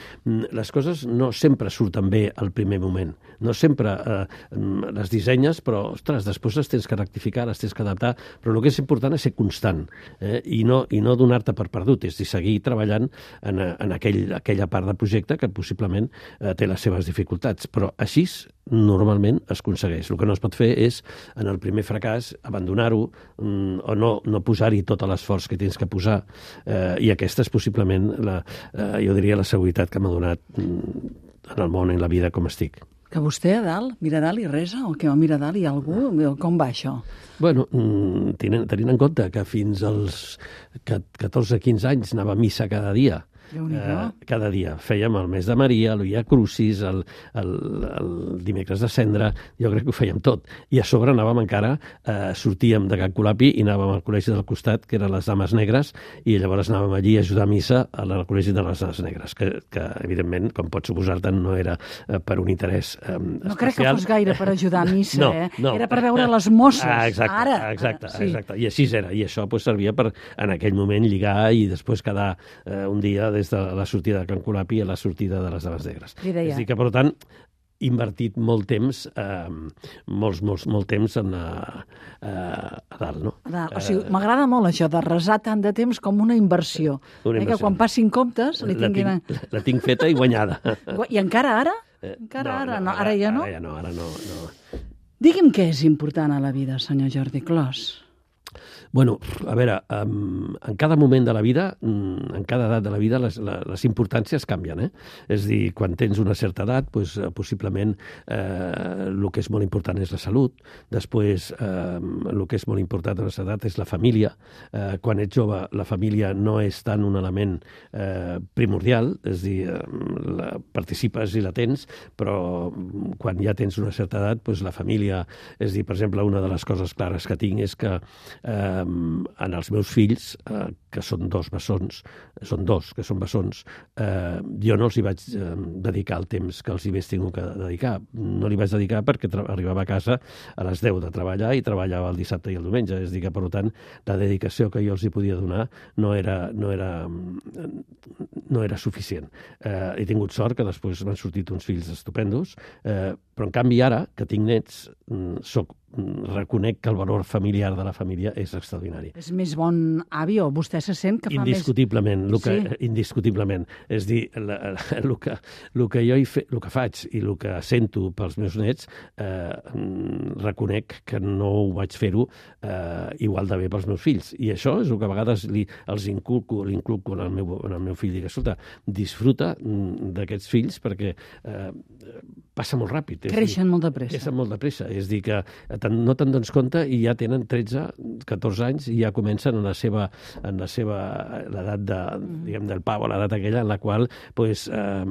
les coses no sempre surten bé al primer moment, no sempre eh, les dissenyes, però, ostres, després les tens que rectificar, les tens que adaptar, però el que és important és ser constant eh, i no, i no donar-te per perdut, és dir, seguir treballant en, en aquell, aquella part del projecte que possiblement eh, té les seves dificultats, però així normalment es aconsegueix. El que no es pot fer és, en el primer fracàs, abandonar-ho mm, o no, no posar-hi tot l'esforç que tens que posar, eh, i aquesta és possiblement, la, eh, jo diria, la seguretat que m'ha donat mm, en el món, en la vida, com estic. Que vostè a dalt, mira a dalt i resa, o que va mirar a dalt i algú, com va això? Bueno, tenint, tenint en compte que fins als catorze quinze anys anava a missa cada dia, eh, cada dia. Fèiem el mes de Maria, el Via Crucis, el, el, el dimecres de Cendra, jo crec que ho fèiem tot. I a sobre anàvem encara, eh, sortíem de Can Colapi i anàvem al col·legi del costat, que eren les Dames Negres, i llavors anàvem allí a ajudar a missa al col·legi de les Dames Negres, que, que evidentment, com pots suposar-te, no era eh, per un interès eh, especial. No crec que fos gaire per ajudar a missa, no, eh? No. Era per veure les mosses. Ah, exacte, ara. Exacte, sí. exacte. I així era. I això pues, servia per, en aquell moment, lligar i després quedar eh, un dia des de la sortida de Can Colapi a la sortida de les Dames Negres. És a dir que, per tant, he invertit molt temps, eh, molts, molts, molt temps en, a, a dalt, no? A dalt. O sigui, eh, m'agrada molt això de resar tant de temps com una inversió. Una inversió. Eh, que quan passin comptes li tinguin... La tinc, la tinc feta i guanyada. I encara ara? Encara no, ara, no, no, ara ja no? Ara ja no, ara no. no. Digui'm què és important a la vida, senyor Jordi Clos. Bueno, a veure, um, en cada moment de la vida, um, en cada edat de la vida, les, les, les importàncies canvien, eh? És a dir, quan tens una certa edat, pues, uh, possiblement eh, el que és molt important és la salut, després eh, el que és molt important a la edat és la família, eh, quan ets jove la família no és tant un element eh, primordial, és a dir, eh, la, participes i la tens, però quan ja tens una certa edat, pues, la família, és a dir, per exemple, una de les coses clares que tinc és que eh, en els meus fills, eh, que són dos bessons, són dos que són bessons, eh, jo no els hi vaig eh, dedicar el temps que els hi hagués tingut que dedicar. No li vaig dedicar perquè arribava a casa a les deu de treballar i treballava el dissabte i el diumenge. És a dir que, per tant, la dedicació que jo els hi podia donar no era, no era, no era suficient. Eh, he tingut sort que després m'han sortit uns fills estupendos, eh, però en canvi ara, que tinc nets, soc reconec que el valor familiar de la família és extraordinari. És més bon avi o vostè se sent que fa indiscutiblement, més... El que, sí. Indiscutiblement. És dir, la, el, que, el, que jo hi fe, el que faig i el que sento pels meus nets, eh, reconec que no ho vaig fer-ho eh, igual de bé pels meus fills. I això és el que a vegades li, els inculco, l'inculco en el meu, en el meu fill. Dic, escolta, disfruta d'aquests fills perquè eh, passa molt ràpid. Creixen dir, molt de pressa. Creixen molt de pressa. És dir, que no te'n dones compte i ja tenen tretze, catorze anys i ja comencen en la seva, en la seva l'edat de, diguem, del pau, l'edat aquella en la qual pues, eh,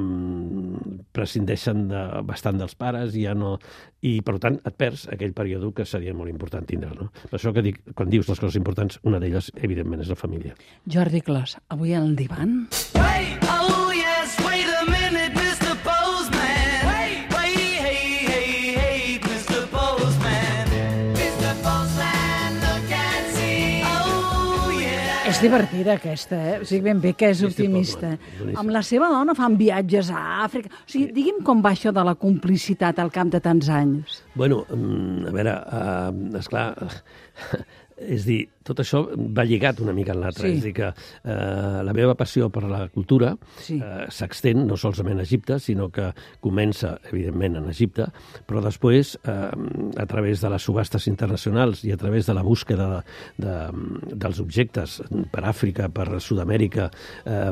prescindeixen de, bastant dels pares i ja no... I, per tant, et perds aquell període que seria molt important tindre, no? Per això que dic, quan dius les coses importants, una d'elles, evidentment, és la família. Jordi Clos, avui al divan... Hey, oh yes, wait a minute, mister Postman. Wait, wait, hey, hey, hey, mister Postman. mister Postman, look and see. Oh yeah. És divertida aquesta, eh? O sigui, ben bé que és optimista. Amb la seva dona fan viatges a Àfrica. O sigui, digui'm com va això de la complicitat al cap de tants anys. Bueno, a veure, uh, esclar... És dir, tot això va lligat una mica en l'altre. Sí. És dir, que eh, la meva passió per la cultura sí. eh, s'extén no solament a Egipte, sinó que comença, evidentment, en Egipte, però després, eh, a través de les subhastes internacionals i a través de la búsqueda de, de, dels objectes per Àfrica, per Sud-amèrica, eh,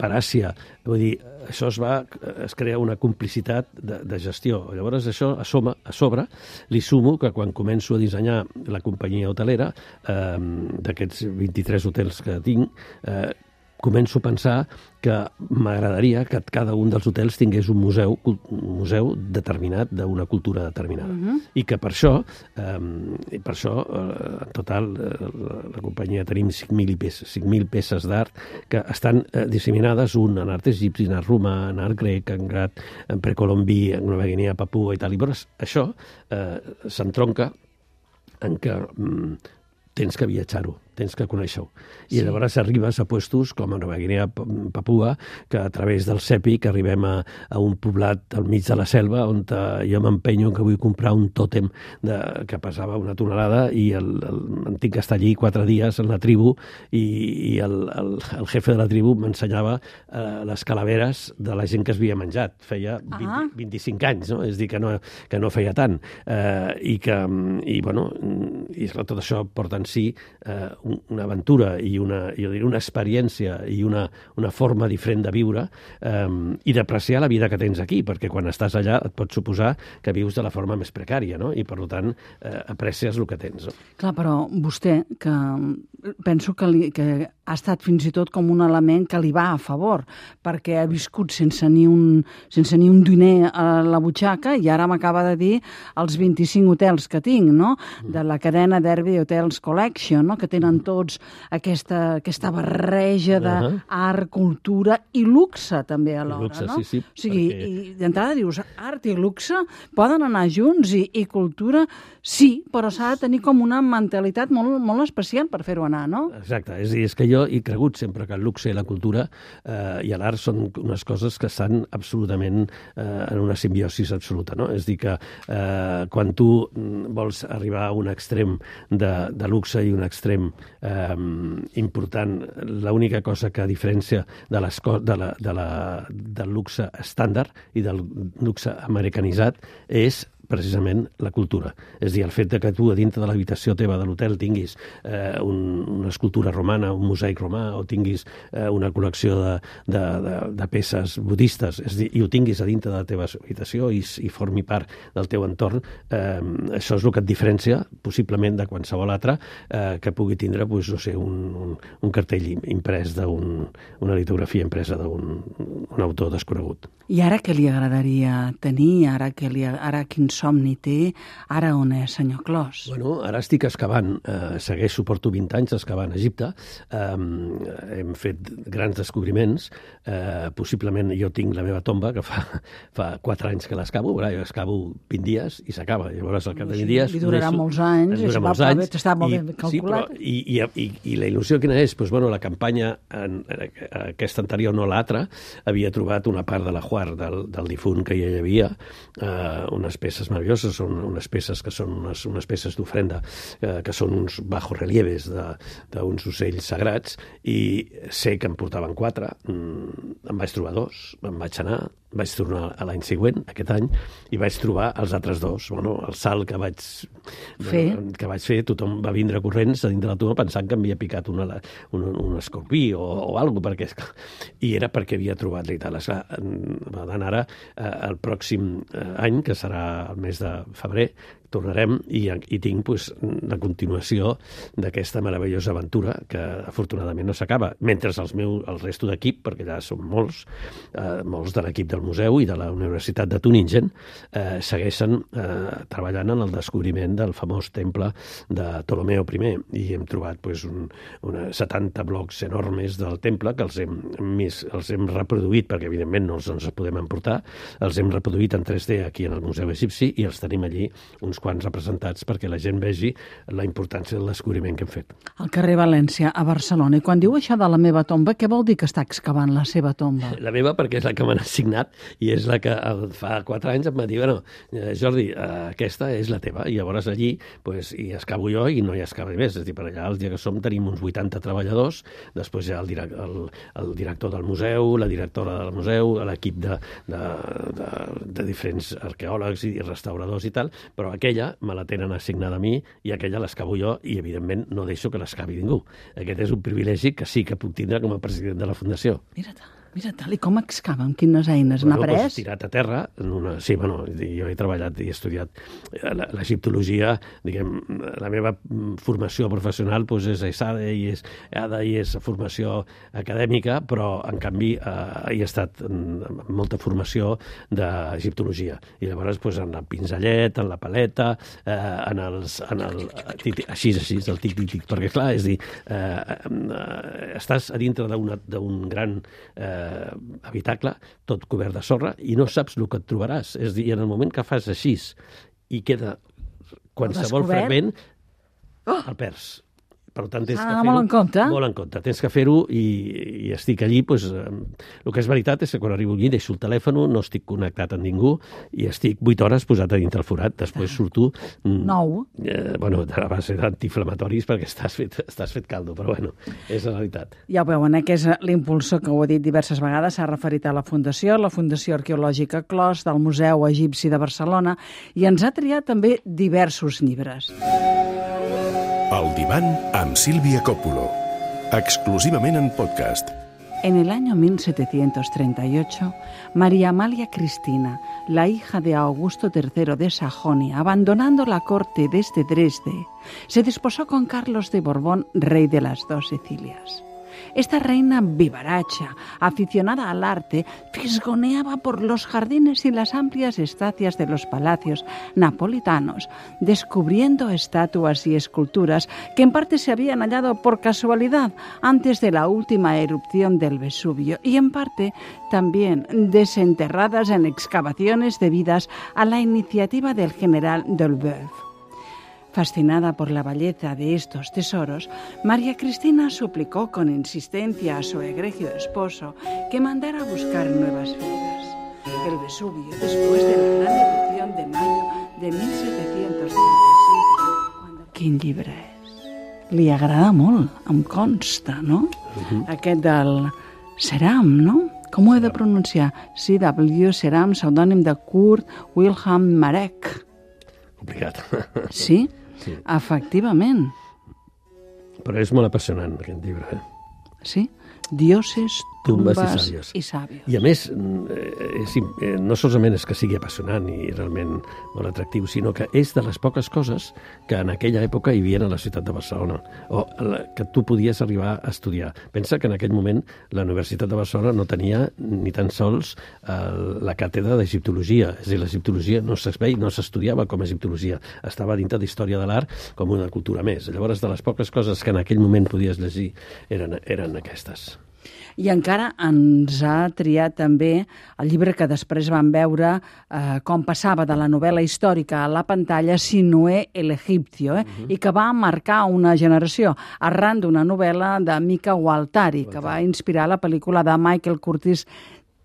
per Àsia, vull dir, això es va, es crea una complicitat de, de gestió. Llavors, això a, soma, a sobre li sumo que quan començo a dissenyar la companyia hotelera, eh, d'aquests vint-i-tres hotels que tinc, eh, començo a pensar que m'agradaria que cada un dels hotels tingués un museu, un museu determinat d'una cultura determinada. Uh-huh. I que per això, eh, per això eh, en total, eh, la, la companyia tenim cinc mil peces, cinc mil peces d'art que estan eh, disseminades, un en art egipci, en art romà, en art grec, en art en precolombí, en Nova Guinea, Papua i tal. I llavors això eh, s'entronca en què mm, tens que viatjar-ho, tens que conèixer-ho. I sí. Llavors arribes a puestos com a Nova Guinea, Papua, que a través del Sèpic arribem a, a un poblat al mig de la selva on uh, jo m'empenyo que vull comprar un tòtem de, que pesava una tonelada i el, el, em tinc que estar allí quatre dies en la tribu i, i el, el, el jefe de la tribu m'ensenyava uh, les calaveres de la gent que es havia menjat. Feia vint, ah. vint-i-cinc anys, no? És dir, que no, que no feia tant. Uh, I que, i, bueno, i tot això porta en si uh, una aventura i una, jo diria, una experiència i una, una forma diferent de viure eh, i d'apreciar la vida que tens aquí, perquè quan estàs allà et pot suposar que vius de la forma més precària, no? I per tant eh, aprecies el que tens. No? Clar, però vostè, que penso que, li, que ha estat fins i tot com un element que li va a favor, perquè ha viscut sense ni un, sense ni un diner a la butxaca i ara m'acaba de dir els vint-i-cinc hotels que tinc, no? De la cadena Derby Hotels Collection, no? Que tenen tots aquesta, aquesta barreja d'art, uh-huh. cultura i luxe també alhora, luxe, no? Sí, sí, o sigui, perquè... i d'entrada dius, art i luxe poden anar junts i, i cultura sí, però s'ha de tenir com una mentalitat molt, molt especial per fer-ho anar, no? Exacte, és a dir, és que jo he cregut sempre que el luxe i la cultura eh, i l'art són unes coses que estan absolutament eh, en una simbiosis absoluta, no? És a dir, que eh, quan tu vols arribar a un extrem de, de luxe i un extrem eh, important, l'única cosa que diferència de les de la, de la, del luxe estàndard i del luxe americanitzat és precisament la cultura. És a dir, el fet que tu a dintre de l'habitació teva de l'hotel tinguis eh, un, una escultura romana, un mosaic romà, o tinguis eh, una col·lecció de, de, de, de peces budistes, és a dir, i ho tinguis a dintre de la teva habitació i, i formi part del teu entorn, eh, això és el que et diferencia, possiblement, de qualsevol altre eh, que pugui tindre, pues, no sé, un, un, un cartell imprès d'una un, litografia impresa d'un un autor desconegut. I ara què li agradaria tenir? Ara, que li, ara quin somni té? Ara on és, senyor Clos? Bueno, ara estic excavant, eh, segueixo, porto vint anys excavant a Egipte, eh, hem fet grans descobriments, eh, possiblement jo tinc la meva tomba, que fa, fa quatre anys que l'escavo, jo excavo vint dies i s'acaba, llavors al cap de vint dies... Li durarà molts anys, durarà molts anys, està molt ben calculat. Sí, però, i, i, i, i la il·lusió quina és? Pues, bueno, la campanya, en, en aquesta anterior, no l'altra, havia trobat una part de la Juar del, del difunt que ja hi havia, eh, unes peces meravelloses, són unes peces que són unes, unes peces d'ofrenda, eh, que són uns bajorrelieves d'uns ocells sagrats, i sé que en portaven quatre, mm, em vaig trobar dos, em vaig anar, vaig tornar a l'any següent, aquest any, i vaig trobar els altres dos. Bueno, el salt que vaig fer, que vaig fer tothom va vindre corrents a dintre de la tomba pensant que m'havia picat una, un, un escorpí o, o alguna cosa, perquè, i era perquè havia trobat l'Ital. Va d'anar ara eh, el pròxim any, que serà el mes de febrer, tornarem i, i tinc pues, la continuació d'aquesta meravellosa aventura que afortunadament no s'acaba, mentre els meu, el resto d'equip, perquè allà són molts, eh, molts de l'equip del museu i de la Universitat de Tuningen, eh, segueixen eh, treballant en el descobriment del famós temple de Ptolomeo I, i hem trobat pues, un, una setanta blocs enormes del temple que els hem, més, els hem reproduït, perquè evidentment no els, ens els podem emportar, els hem reproduït en tres D aquí en el Museu Egipci i els tenim allí uns quants representats perquè la gent vegi la importància del descobriment que hem fet. Al carrer València, a Barcelona. I quan diu això de la meva tomba, què vol dir que està excavant la seva tomba? La meva perquè és la que m'han assignat i és la que fa quatre anys em va dir, bueno, Jordi, aquesta és la teva. I llavors allí pues, hi excavo jo i no hi excava més. És a dir, per allà, els dies que som, tenim uns vuitanta treballadors, després hi ha el, direct, el, el director del museu, la directora del museu, l'equip de, de, de, de diferents arqueòlegs i restauradors i tal, però aquell aquella me la tenen assignada a mi i aquella l'escavo jo i, evidentment, no deixo que l'escavi ningú. Aquest és un privilegi que sí que puc tindre com a president de la Fundació. Mira-te. Mira, tal, i com excava? Amb quines eines? N'ha bueno, pres? Pues, tirat a terra. En una... Sí, bueno, jo he treballat i he estudiat l'egiptologia, diguem, la meva formació professional pues, és ESADE i és EADA i és formació acadèmica, però, en canvi, eh, hi ha estat molta formació d'egiptologia. I llavors, pues, en el pinzellet, en la paleta, eh, en els... En el, així, així, el tic-tic-tic, perquè, clar, és dir, eh, eh, estàs a dintre d'un gran... Eh, habitacle, tot cobert de sorra, i no saps el que et trobaràs. És a dir, en el moment que fas així i queda qualsevol fragment, oh! el perds. Per tant, tens ah, que fer-ho molt en compte. Molt en compte. Tens que fer-ho i, i estic allí. Pues, eh, el que és veritat és que quan arribo allí deixo el telèfon, no estic connectat amb ningú i estic vuit hores posat a dintre el forat. Després surto... Mm, nou. Eh, bueno, a base d'antiinflamatoris perquè estàs fet, estàs fet caldo, però bueno, és la veritat. Ja ho veuen, eh, que és l'impulsor que ho he dit diverses vegades, s'ha referit a la Fundació, la Fundació Arqueològica Clos, del Museu Egipci de Barcelona, i ens ha triat també diversos llibres. El divan amb Sílvia Coppola, exclusivament en podcast. En el año mil setecientos treinta y ocho, María Amalia Cristina, la hija de Augusto tercero de Sajonia, abandonando la corte desde Dresde, se desposó con Carlos de Borbón, rey de las dos Sicilias. Esta reina vivaracha, aficionada al arte, fisgoneaba por los jardines y las amplias estancias de los palacios napolitanos, descubriendo estatuas y esculturas que en parte se habían hallado por casualidad antes de la última erupción del Vesubio y en parte también desenterradas en excavaciones debidas a la iniciativa del general Dolbeuf. Fascinada por la belleza de estos tesoros, María Cristina suplicó con insistencia a su egregio esposo que mandara a buscar nuevas fibras. El Vesubio, después de la gran erupción de mayo de mil setecientos treinta y siete... Cuando... Quin llibre és? Li agrada molt, em consta, no? Uh-huh. Aquest del Ceram, no? Com ho he de pronunciar? C W Ceram, pseudònim de Kurt Wilhelm Marek. Complicat. Sí? Sí. Efectivament. Però és molt apassionant, aquest llibre. Eh? Sí? Dioses, tumbes, tumbes i, sàvios. i sàvios. I a més, és, no solament és que sigui apassionant i realment molt atractiu, sinó que és de les poques coses que en aquella època hi havia a la ciutat de Barcelona, o que tu podies arribar a estudiar. Pensa que en aquell moment la Universitat de Barcelona no tenia ni tan sols la càtedra d'egiptologia, és a dir, l'egiptologia no s'esveia, no s'estudiava com a egiptologia, estava dintre d'història de l'art com una cultura més. Llavors, de les poques coses que en aquell moment podies llegir eren, eren aquestes. I encara ens ha triat també el llibre que després vam veure eh, com passava de la novel·la històrica a la pantalla, Sinué el Egipcio, eh? uh-huh. i que va marcar una generació arran d'una novel·la de Mika Waltari, que va inspirar la pel·lícula de Michael Curtis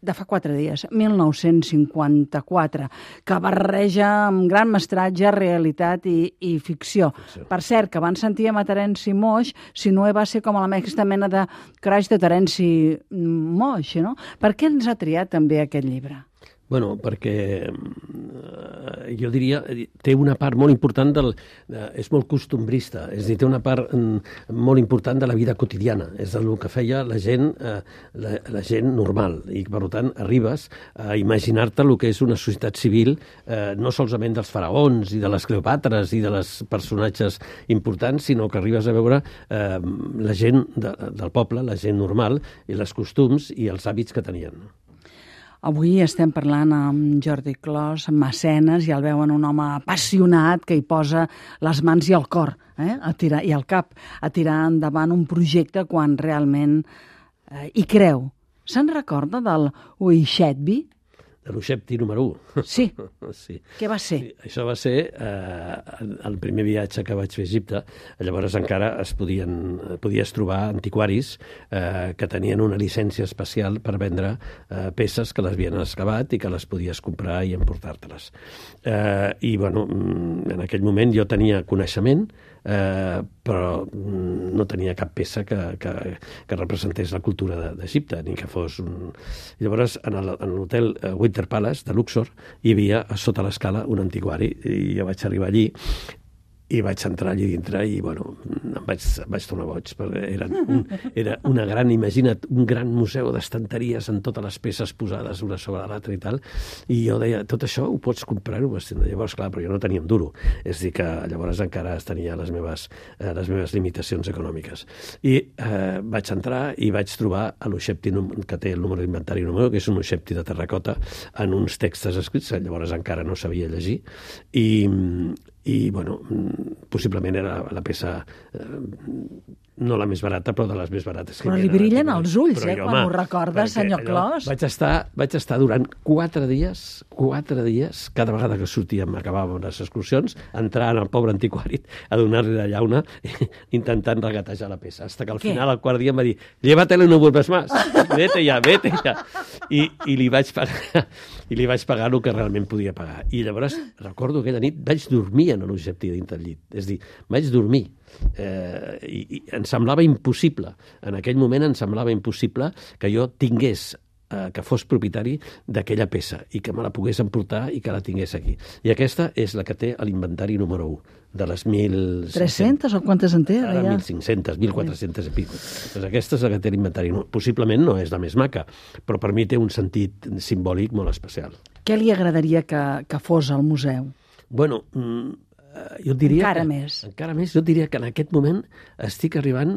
de fa quatre dies, mil nou-cents cinquanta-quatre, que barreja amb gran mestratge realitat i, i ficció. ficció. Per cert, que abans sentíem a Terenci Moix, si no va ser com a la aquesta mena de crash de Terenci Moix, no? Per què ens ha triat també aquest llibre? Bueno, perquè eh, jo diria, té una part molt important del... Eh, és molt costumbrista, és a dir, té una part mm, molt important de la vida quotidiana, és el que feia la gent, eh, la, la gent normal, i per tant arribes a imaginar-te el que és una societat civil, eh, no solament dels faraons i de les Cleopàtras i de les personatges importants, sinó que arribes a veure eh, la gent de, del poble, la gent normal, i els costums i els hàbits que tenien. Avui estem parlant amb Jordi Clos, mecenes, i el veuen un home apassionat que hi posa les mans i el cor, eh? a tirar, i el cap, a tirar endavant un projecte quan realment eh, hi creu. Se'n recorda del Uixetbi? De l'Uixetbi número u. Sí. sí. Què va ser? Sí, això va ser eh, el primer viatge que vaig fer a Egipte. Llavors encara es podien, podies trobar antiquaris eh, que tenien una llicència especial per vendre eh, peces que les havien excavat i que les podies comprar i emportar-te-les. Eh, I, bueno, en aquell moment jo tenia coneixement, eh, però no tenia cap peça que, que, que representés la cultura d'Egipte, ni que fos un... Llavors, en l'hotel Winter Palace de Luxor hi havia a sota l'escala un antiquari, i jo vaig arribar allí i vaig entrar allí dintre i, bueno, em vaig, em vaig tornar boig, perquè era, un, era una gran, imagina't, un gran museu d'estanteries amb totes les peces posades una sobre l'altra i tal, i jo deia, tot això ho pots comprar-ho? Llavors, clar, però jo no tenia un duro, és dir, que llavors encara tenia les meves, eh, les meves limitacions econòmiques. I eh, vaig entrar i vaig trobar l'Uixetbi, que té el número d'inventari número, que és un Uixetbi de terracota, en uns textos escrits, llavors encara no sabia llegir, i i, bueno, possiblement era la peça, eh, no la més barata, però de les més barates. Però li brillen els ulls, eh, quan ho recordes, senyor Clos. Vaig estar, vaig estar durant quatre dies, quatre dies, cada vegada que sortíem, acabàvem les excursions, entrant al pobre antiquari a donar-li la llauna, intentant regatejar la peça, hasta que al final, al quart dia, em va dir, llévatelo y no vuelves más, vete ja, vete ja. I, i li vaig pagar, i li vaig pagar el que realment podia pagar. I llavors, recordo aquella nit, vaig dormir en l'Uixetbi dins del llit. És a dir, vaig dormir. Eh, i, i em semblava impossible. En aquell moment em semblava impossible que jo tingués, eh, que fos propietari d'aquella peça i que me la pogués emportar i que la tingués aquí. I aquesta és la que té l'inventari número u, de les mil... tres-centes o quantes en té? Ara mil cinc-centes, mil quatre-centes i pico. Pues aquesta és la que té l'inventari. Possiblement no és la més maca, però per mi té un sentit simbòlic molt especial. Què li agradaria que, que fos al museu? Bueno, jo diria... Encara que, més. Encara més. Jo diria que en aquest moment estic arribant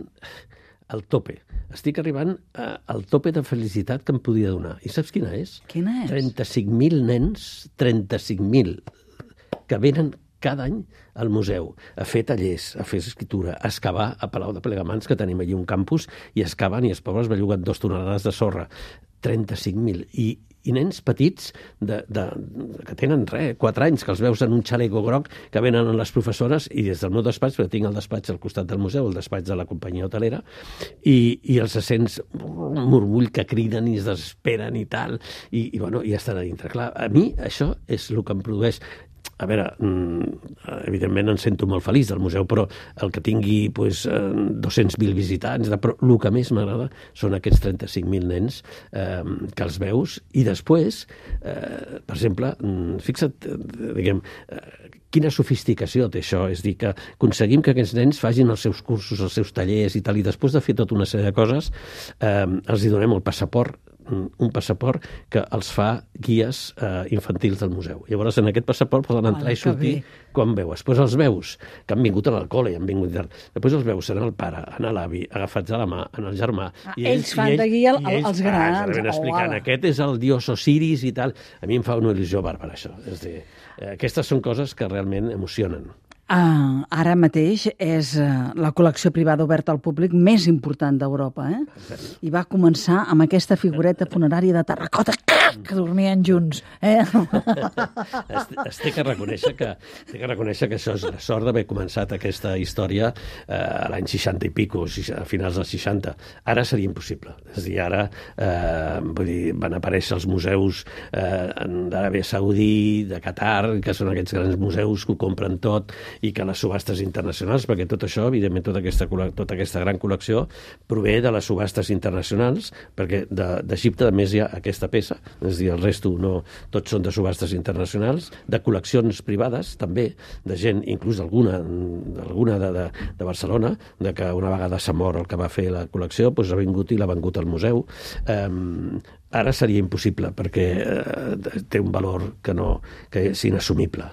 al tope. Estic arribant a, al tope de felicitat que em podia donar. I saps quina és? Quina és? trenta-cinc mil nens, trenta-cinc mil, que venen cada any al museu a fer tallers, a fer escriptura, a excavar a Palau de Plegamans, que tenim allí un campus, i excaven i els pobres belluguen dos tonelades de sorra. trenta-cinc mil. I, i nens petits de, de, que tenen res, quatre anys, que els veus en un xaleco groc, que venen les professores, i des del meu despatx, perquè tinc el despatx al costat del museu, el despatx de la companyia hotelera, i, i els sents un murmull que criden i es desesperen i tal, i, i, bueno, i estan a dintre. Clar, a mi això és el que em produeix. A veure, evidentment em sento molt feliç del museu, però el que tingui pues, dos-cents mil visitants, però el que més m'agrada són aquests trenta-cinc mil nens eh, que els veus, i després, eh, per exemple, fixa't, diguem, eh, quina sofisticació té això, és dir, que aconseguim que aquests nens facin els seus cursos, els seus tallers i tal, i després de fer tota una sèrie de coses, eh, els hi donem el passaport, un passaport que els fa guies eh, infantils del museu. Llavors, en aquest passaport poden entrar i sortir quan veus. Després els veus que han vingut a l'alcohol i han vingut... Després els veus anar al pare, anar a l'avi, agafats a la mà, en el germà. Ah, i ells, ells fan de guia als grans. Ah, explicant, oh, aquest és el dios Osiris i tal. A mi em fa una il·lusió bàrbara, això. És dir, eh, aquestes són coses que realment emocionen. Ah, ara mateix és uh, la col·lecció privada oberta al públic més important d'Europa, eh? I va començar amb aquesta figureta funerària de terracota que dormien junts. Eh? es, es té que reconèixer que, té que reconèixer que això és la sort d'haver començat aquesta història eh, a l'any seixanta i pico, a finals dels seixanta. Ara seria impossible. És a dir, ara eh, vull dir, van aparèixer els museus eh, d'Aràbia Saudí, de Qatar, que són aquests grans museus que ho compren tot, i que les subhastes internacionals, perquè tot això, evidentment, tota aquesta, tota aquesta gran col·lecció prové de les subhastes internacionals, perquè d'Egipte, a més, hi ha aquesta peça, és a dir, el resto no, tots són de subhastes internacionals, de col·leccions privades, també, de gent, inclús alguna, alguna de, de, de Barcelona, de que una vegada s'ha mort el que va fer la col·lecció, doncs ha vingut i l'ha vengut al museu. Eh, ara seria impossible, perquè eh, té un valor que, no, que és inassumible.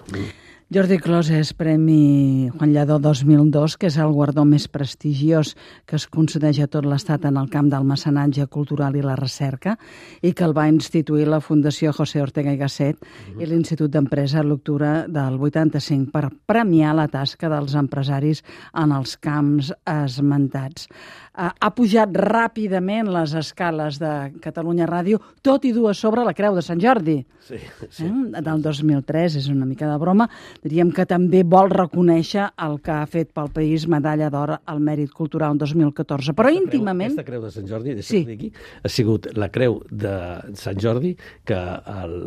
Jordi Clos és Premi Juan Lladó dos mil dos, que és el guardó més prestigiós que es concedeix a tot l'Estat en el camp del mecenatge cultural i la recerca, i que el va instituir la Fundació José Ortega y Gasset uh-huh. i l'Institut d'Empresa a l'octubre del vuitanta-cinc per premiar la tasca dels empresaris en els camps esmentats. Ha pujat ràpidament les escales de Catalunya Ràdio, tot i dur a sobre la Creu de Sant Jordi. Sí, sí. Eh? Del dos mil tres, és una mica de broma. Diríem que també vol reconèixer el que ha fet pel país Medalla d'Or al Mèrit Cultural dos mil catorze. Però aquesta íntimament... Creu, aquesta Creu de Sant Jordi, sí. Aquí, ha sigut la Creu de Sant Jordi que el,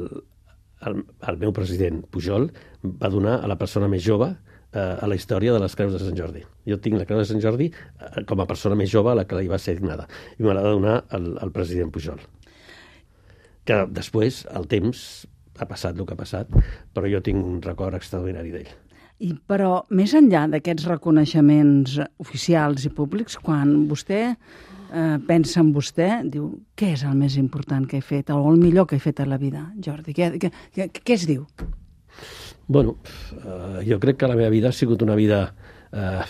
el, el meu president Pujol va donar a la persona més jove a la història de les Creus de Sant Jordi. Jo tinc la Creu de Sant Jordi com a persona més jove a la que li va ser dignada, i me l'ha de donar el, el president Pujol. Que després, el temps, ha passat el que ha passat, però jo tinc un record extraordinari d'ell. I, però, més enllà d'aquests reconeixements oficials i públics, quan vostè eh, pensa en vostè, diu, què és el més important que he fet, o el millor que he fet a la vida, Jordi? Què, què, què, què es diu? Bueno, uh, jo crec que la meva vida ha sigut una vida... Uh,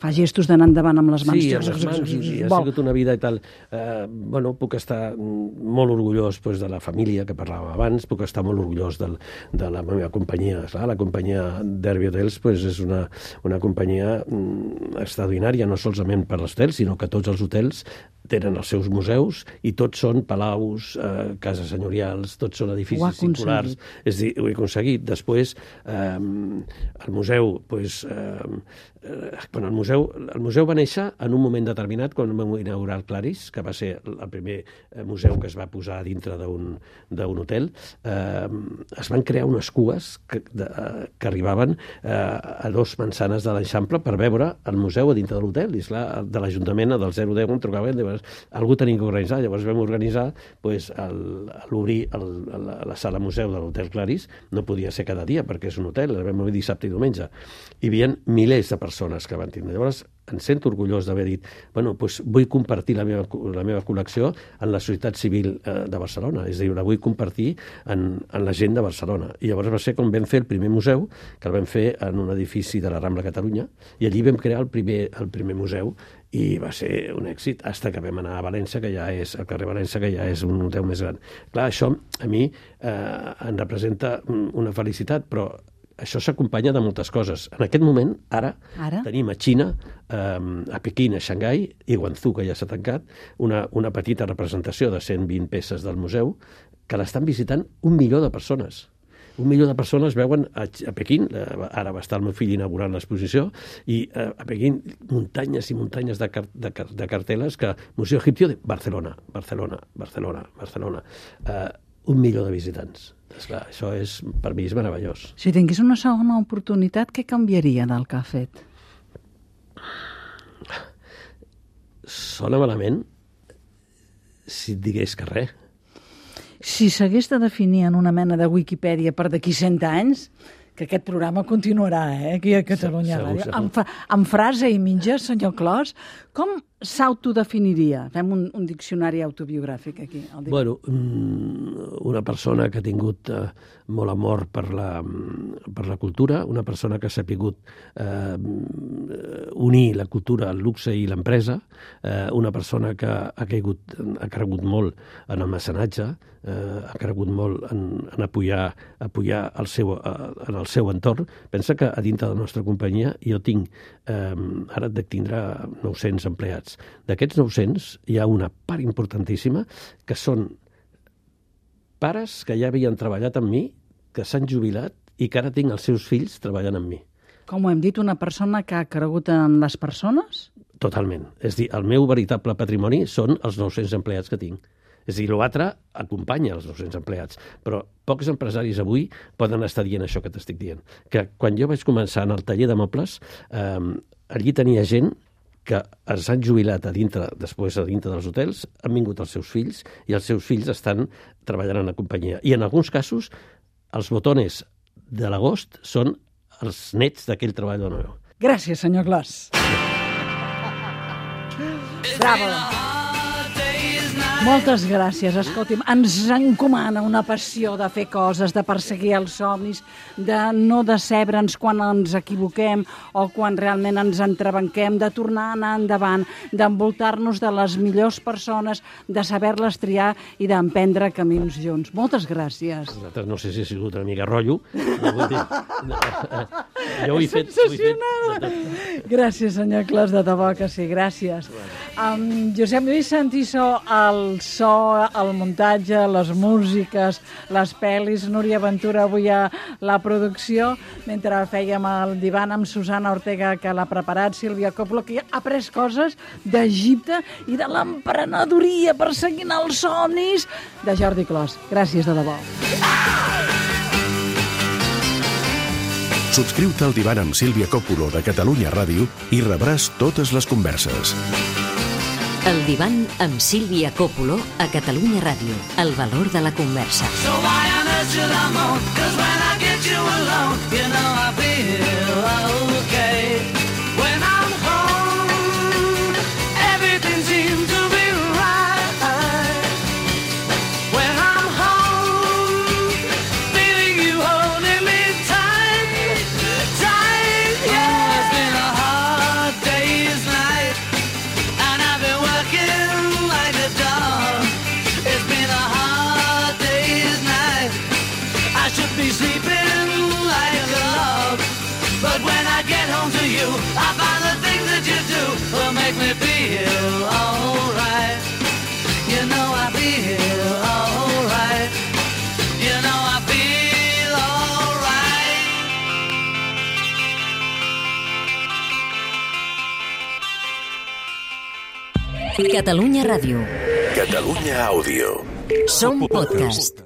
Fa gestos d'anar endavant amb les mans. Sí, amb les mans, i ha sigut una vida i tal. Eh, bueno, puc estar molt orgullós pues, de la família que parlàvem abans, puc estar molt orgullós del, de la meva companyia. Clar, la companyia Derby Hotels pues, és una, una companyia mm, extraordinària, no solament per els hotels, sinó que tots els hotels tenen els seus museus i tots són palaus, eh, cases senyorials, tots són edificis singulars. És a dir, ho he aconseguit. Després, eh, el museu, pues, eh, eh, bueno, el museu, el museu va néixer en un moment determinat quan vam inaugurar el Claris, que va ser el primer museu que es va posar dintre d'un d'un hotel. Eh, es van crear unes cues que, de, que arribaven eh, a dos manzanes de l'Eixample per veure el museu a dintre de l'hotel. I esclar, de l'Ajuntament, del zero deu, em trucaven, algú tenia que organitzar. Llavors vam organitzar pues, l'obrir la, la sala museu de l'Hotel Claris. No podia ser cada dia perquè és un hotel, el vam obrir dissabte i diumenge. Hi havia milers de persones que van tindre. Llavors em sento orgullós d'haver dit bueno, pues, vull compartir la meva, la meva col·lecció en la societat civil eh, de Barcelona. És a dir, la vull compartir en, en la gent de Barcelona. I llavors va ser com vam fer el primer museu, que el vam fer en un edifici de la Rambla Catalunya, i allí vam crear el primer, el primer museu, i va ser un èxit, fins que vam anar a València, que ja és, al carrer València, que ja és un museu més gran. Clar, això a mi eh, em representa una felicitat, però això s'acompanya de moltes coses. En aquest moment, ara, ara? tenim a Xina, eh, a Pequín, a Xangai i Guangzhou, que ja s'ha tancat, una, una petita representació de cent vint peces del museu, que l'estan visitant un milió de persones. Un milió de persones veuen a, a Pequín, ara va estar el meu fill inaugurant l'exposició, i eh, a Pequín muntanyes i muntanyes de, car de, car de cartel·les que Museu Egipcio de Barcelona, Barcelona, Barcelona, Barcelona. Eh, un milió de visitants. Esclar, això és, per mi és meravellós. Si tingués una segona oportunitat, què canviaria del que ha fet? Sona malament si et digués que res. Si s'hagués de definir en una mena de Wikipedia per d'aquí cent anys, que aquest programa continuarà, eh, aquí a Catalunya Ràdio, amb, amb frase i mitja, senyor Clos, com s'autodefiniria? Fem un, un diccionari autobiogràfic aquí. Bueno, una persona que ha tingut eh, molt amor per la, per la cultura, una persona que s'ha sapigut eh, unir la cultura, el luxe i l'empresa, eh, una persona que ha, caigut, ha cregut molt en el mecenatge, eh, ha cregut molt en, en apoyar, apoyar el seu, eh, en el seu entorn. Pensa que a dintre de la nostra companyia jo tinc eh, ara et dec tindre nou-cents empleats. D'aquests nou-cents hi ha una part importantíssima que són pares que ja havien treballat amb mi, que s'han jubilat i que ara tinc els seus fills treballant amb mi. Com ho hem dit, una persona que ha cregut en les persones? Totalment. És a dir, el meu veritable patrimoni són els nou-cents empleats que tinc. És a dir, l'altre acompanya els nou-cents empleats, però pocs empresaris avui poden estar dient això que t'estic dient. Que quan jo vaig començar en el taller de mobles, eh, allí tenia gent que es han jubilat a dintre, després a dintre dels hotels, han vingut els seus fills i els seus fills estan treballant en la companyia. I en alguns casos, els botones de l'agost són els nets d'aquell treballador meu. Gràcies, senyor Clos. Bravo. Moltes gràcies. Escolti'm, ens encomana una passió de fer coses, de perseguir els somnis, de no decebre'ns quan ens equivoquem o quan realment ens entrebanquem, de tornar a anar endavant, d'envoltar-nos de les millors persones, de saber-les triar i d'emprendre camins junts. Moltes gràcies. Nosaltres no sé si ha sigut una mica rotllo. No vull dir, no, jo ho he fet... Sensacional. Gràcies, senyor Clos, de debò que sí, gràcies. Um, Josep Lluís Santiso, el so, el muntatge, les músiques, les pel·lis, Núria Ventura avui a la producció, mentre fèiem el divan amb Susana Ortega, que l'ha preparat, Sílvia Coppola, que ha après coses d'Egipte i de l'emprenedoria perseguint els somnis de Jordi Clos. Gràcies de debò. Subscriu-te al divan amb Sílvia Coppola de Catalunya Ràdio i rebràs totes les converses. El divan amb Sílvia Coppola a Catalunya Ràdio. El valor de la conversa. So why on earth should I moan? 'Cause when I get you alone, you know I feel okay. When I'm home, everything seems to be right. When I'm home, feeling you holding me tight, tight, yeah. It's been a hard day's night, and I've been working like a dog. It's been a hard day's night. I should be sleeping like a log, but when I get home to you, I find the things that you do will make me feel alright. You know I feel alright. You know I feel alright. Catalunya Ràdio. Catalunya Àudio. Som podcast.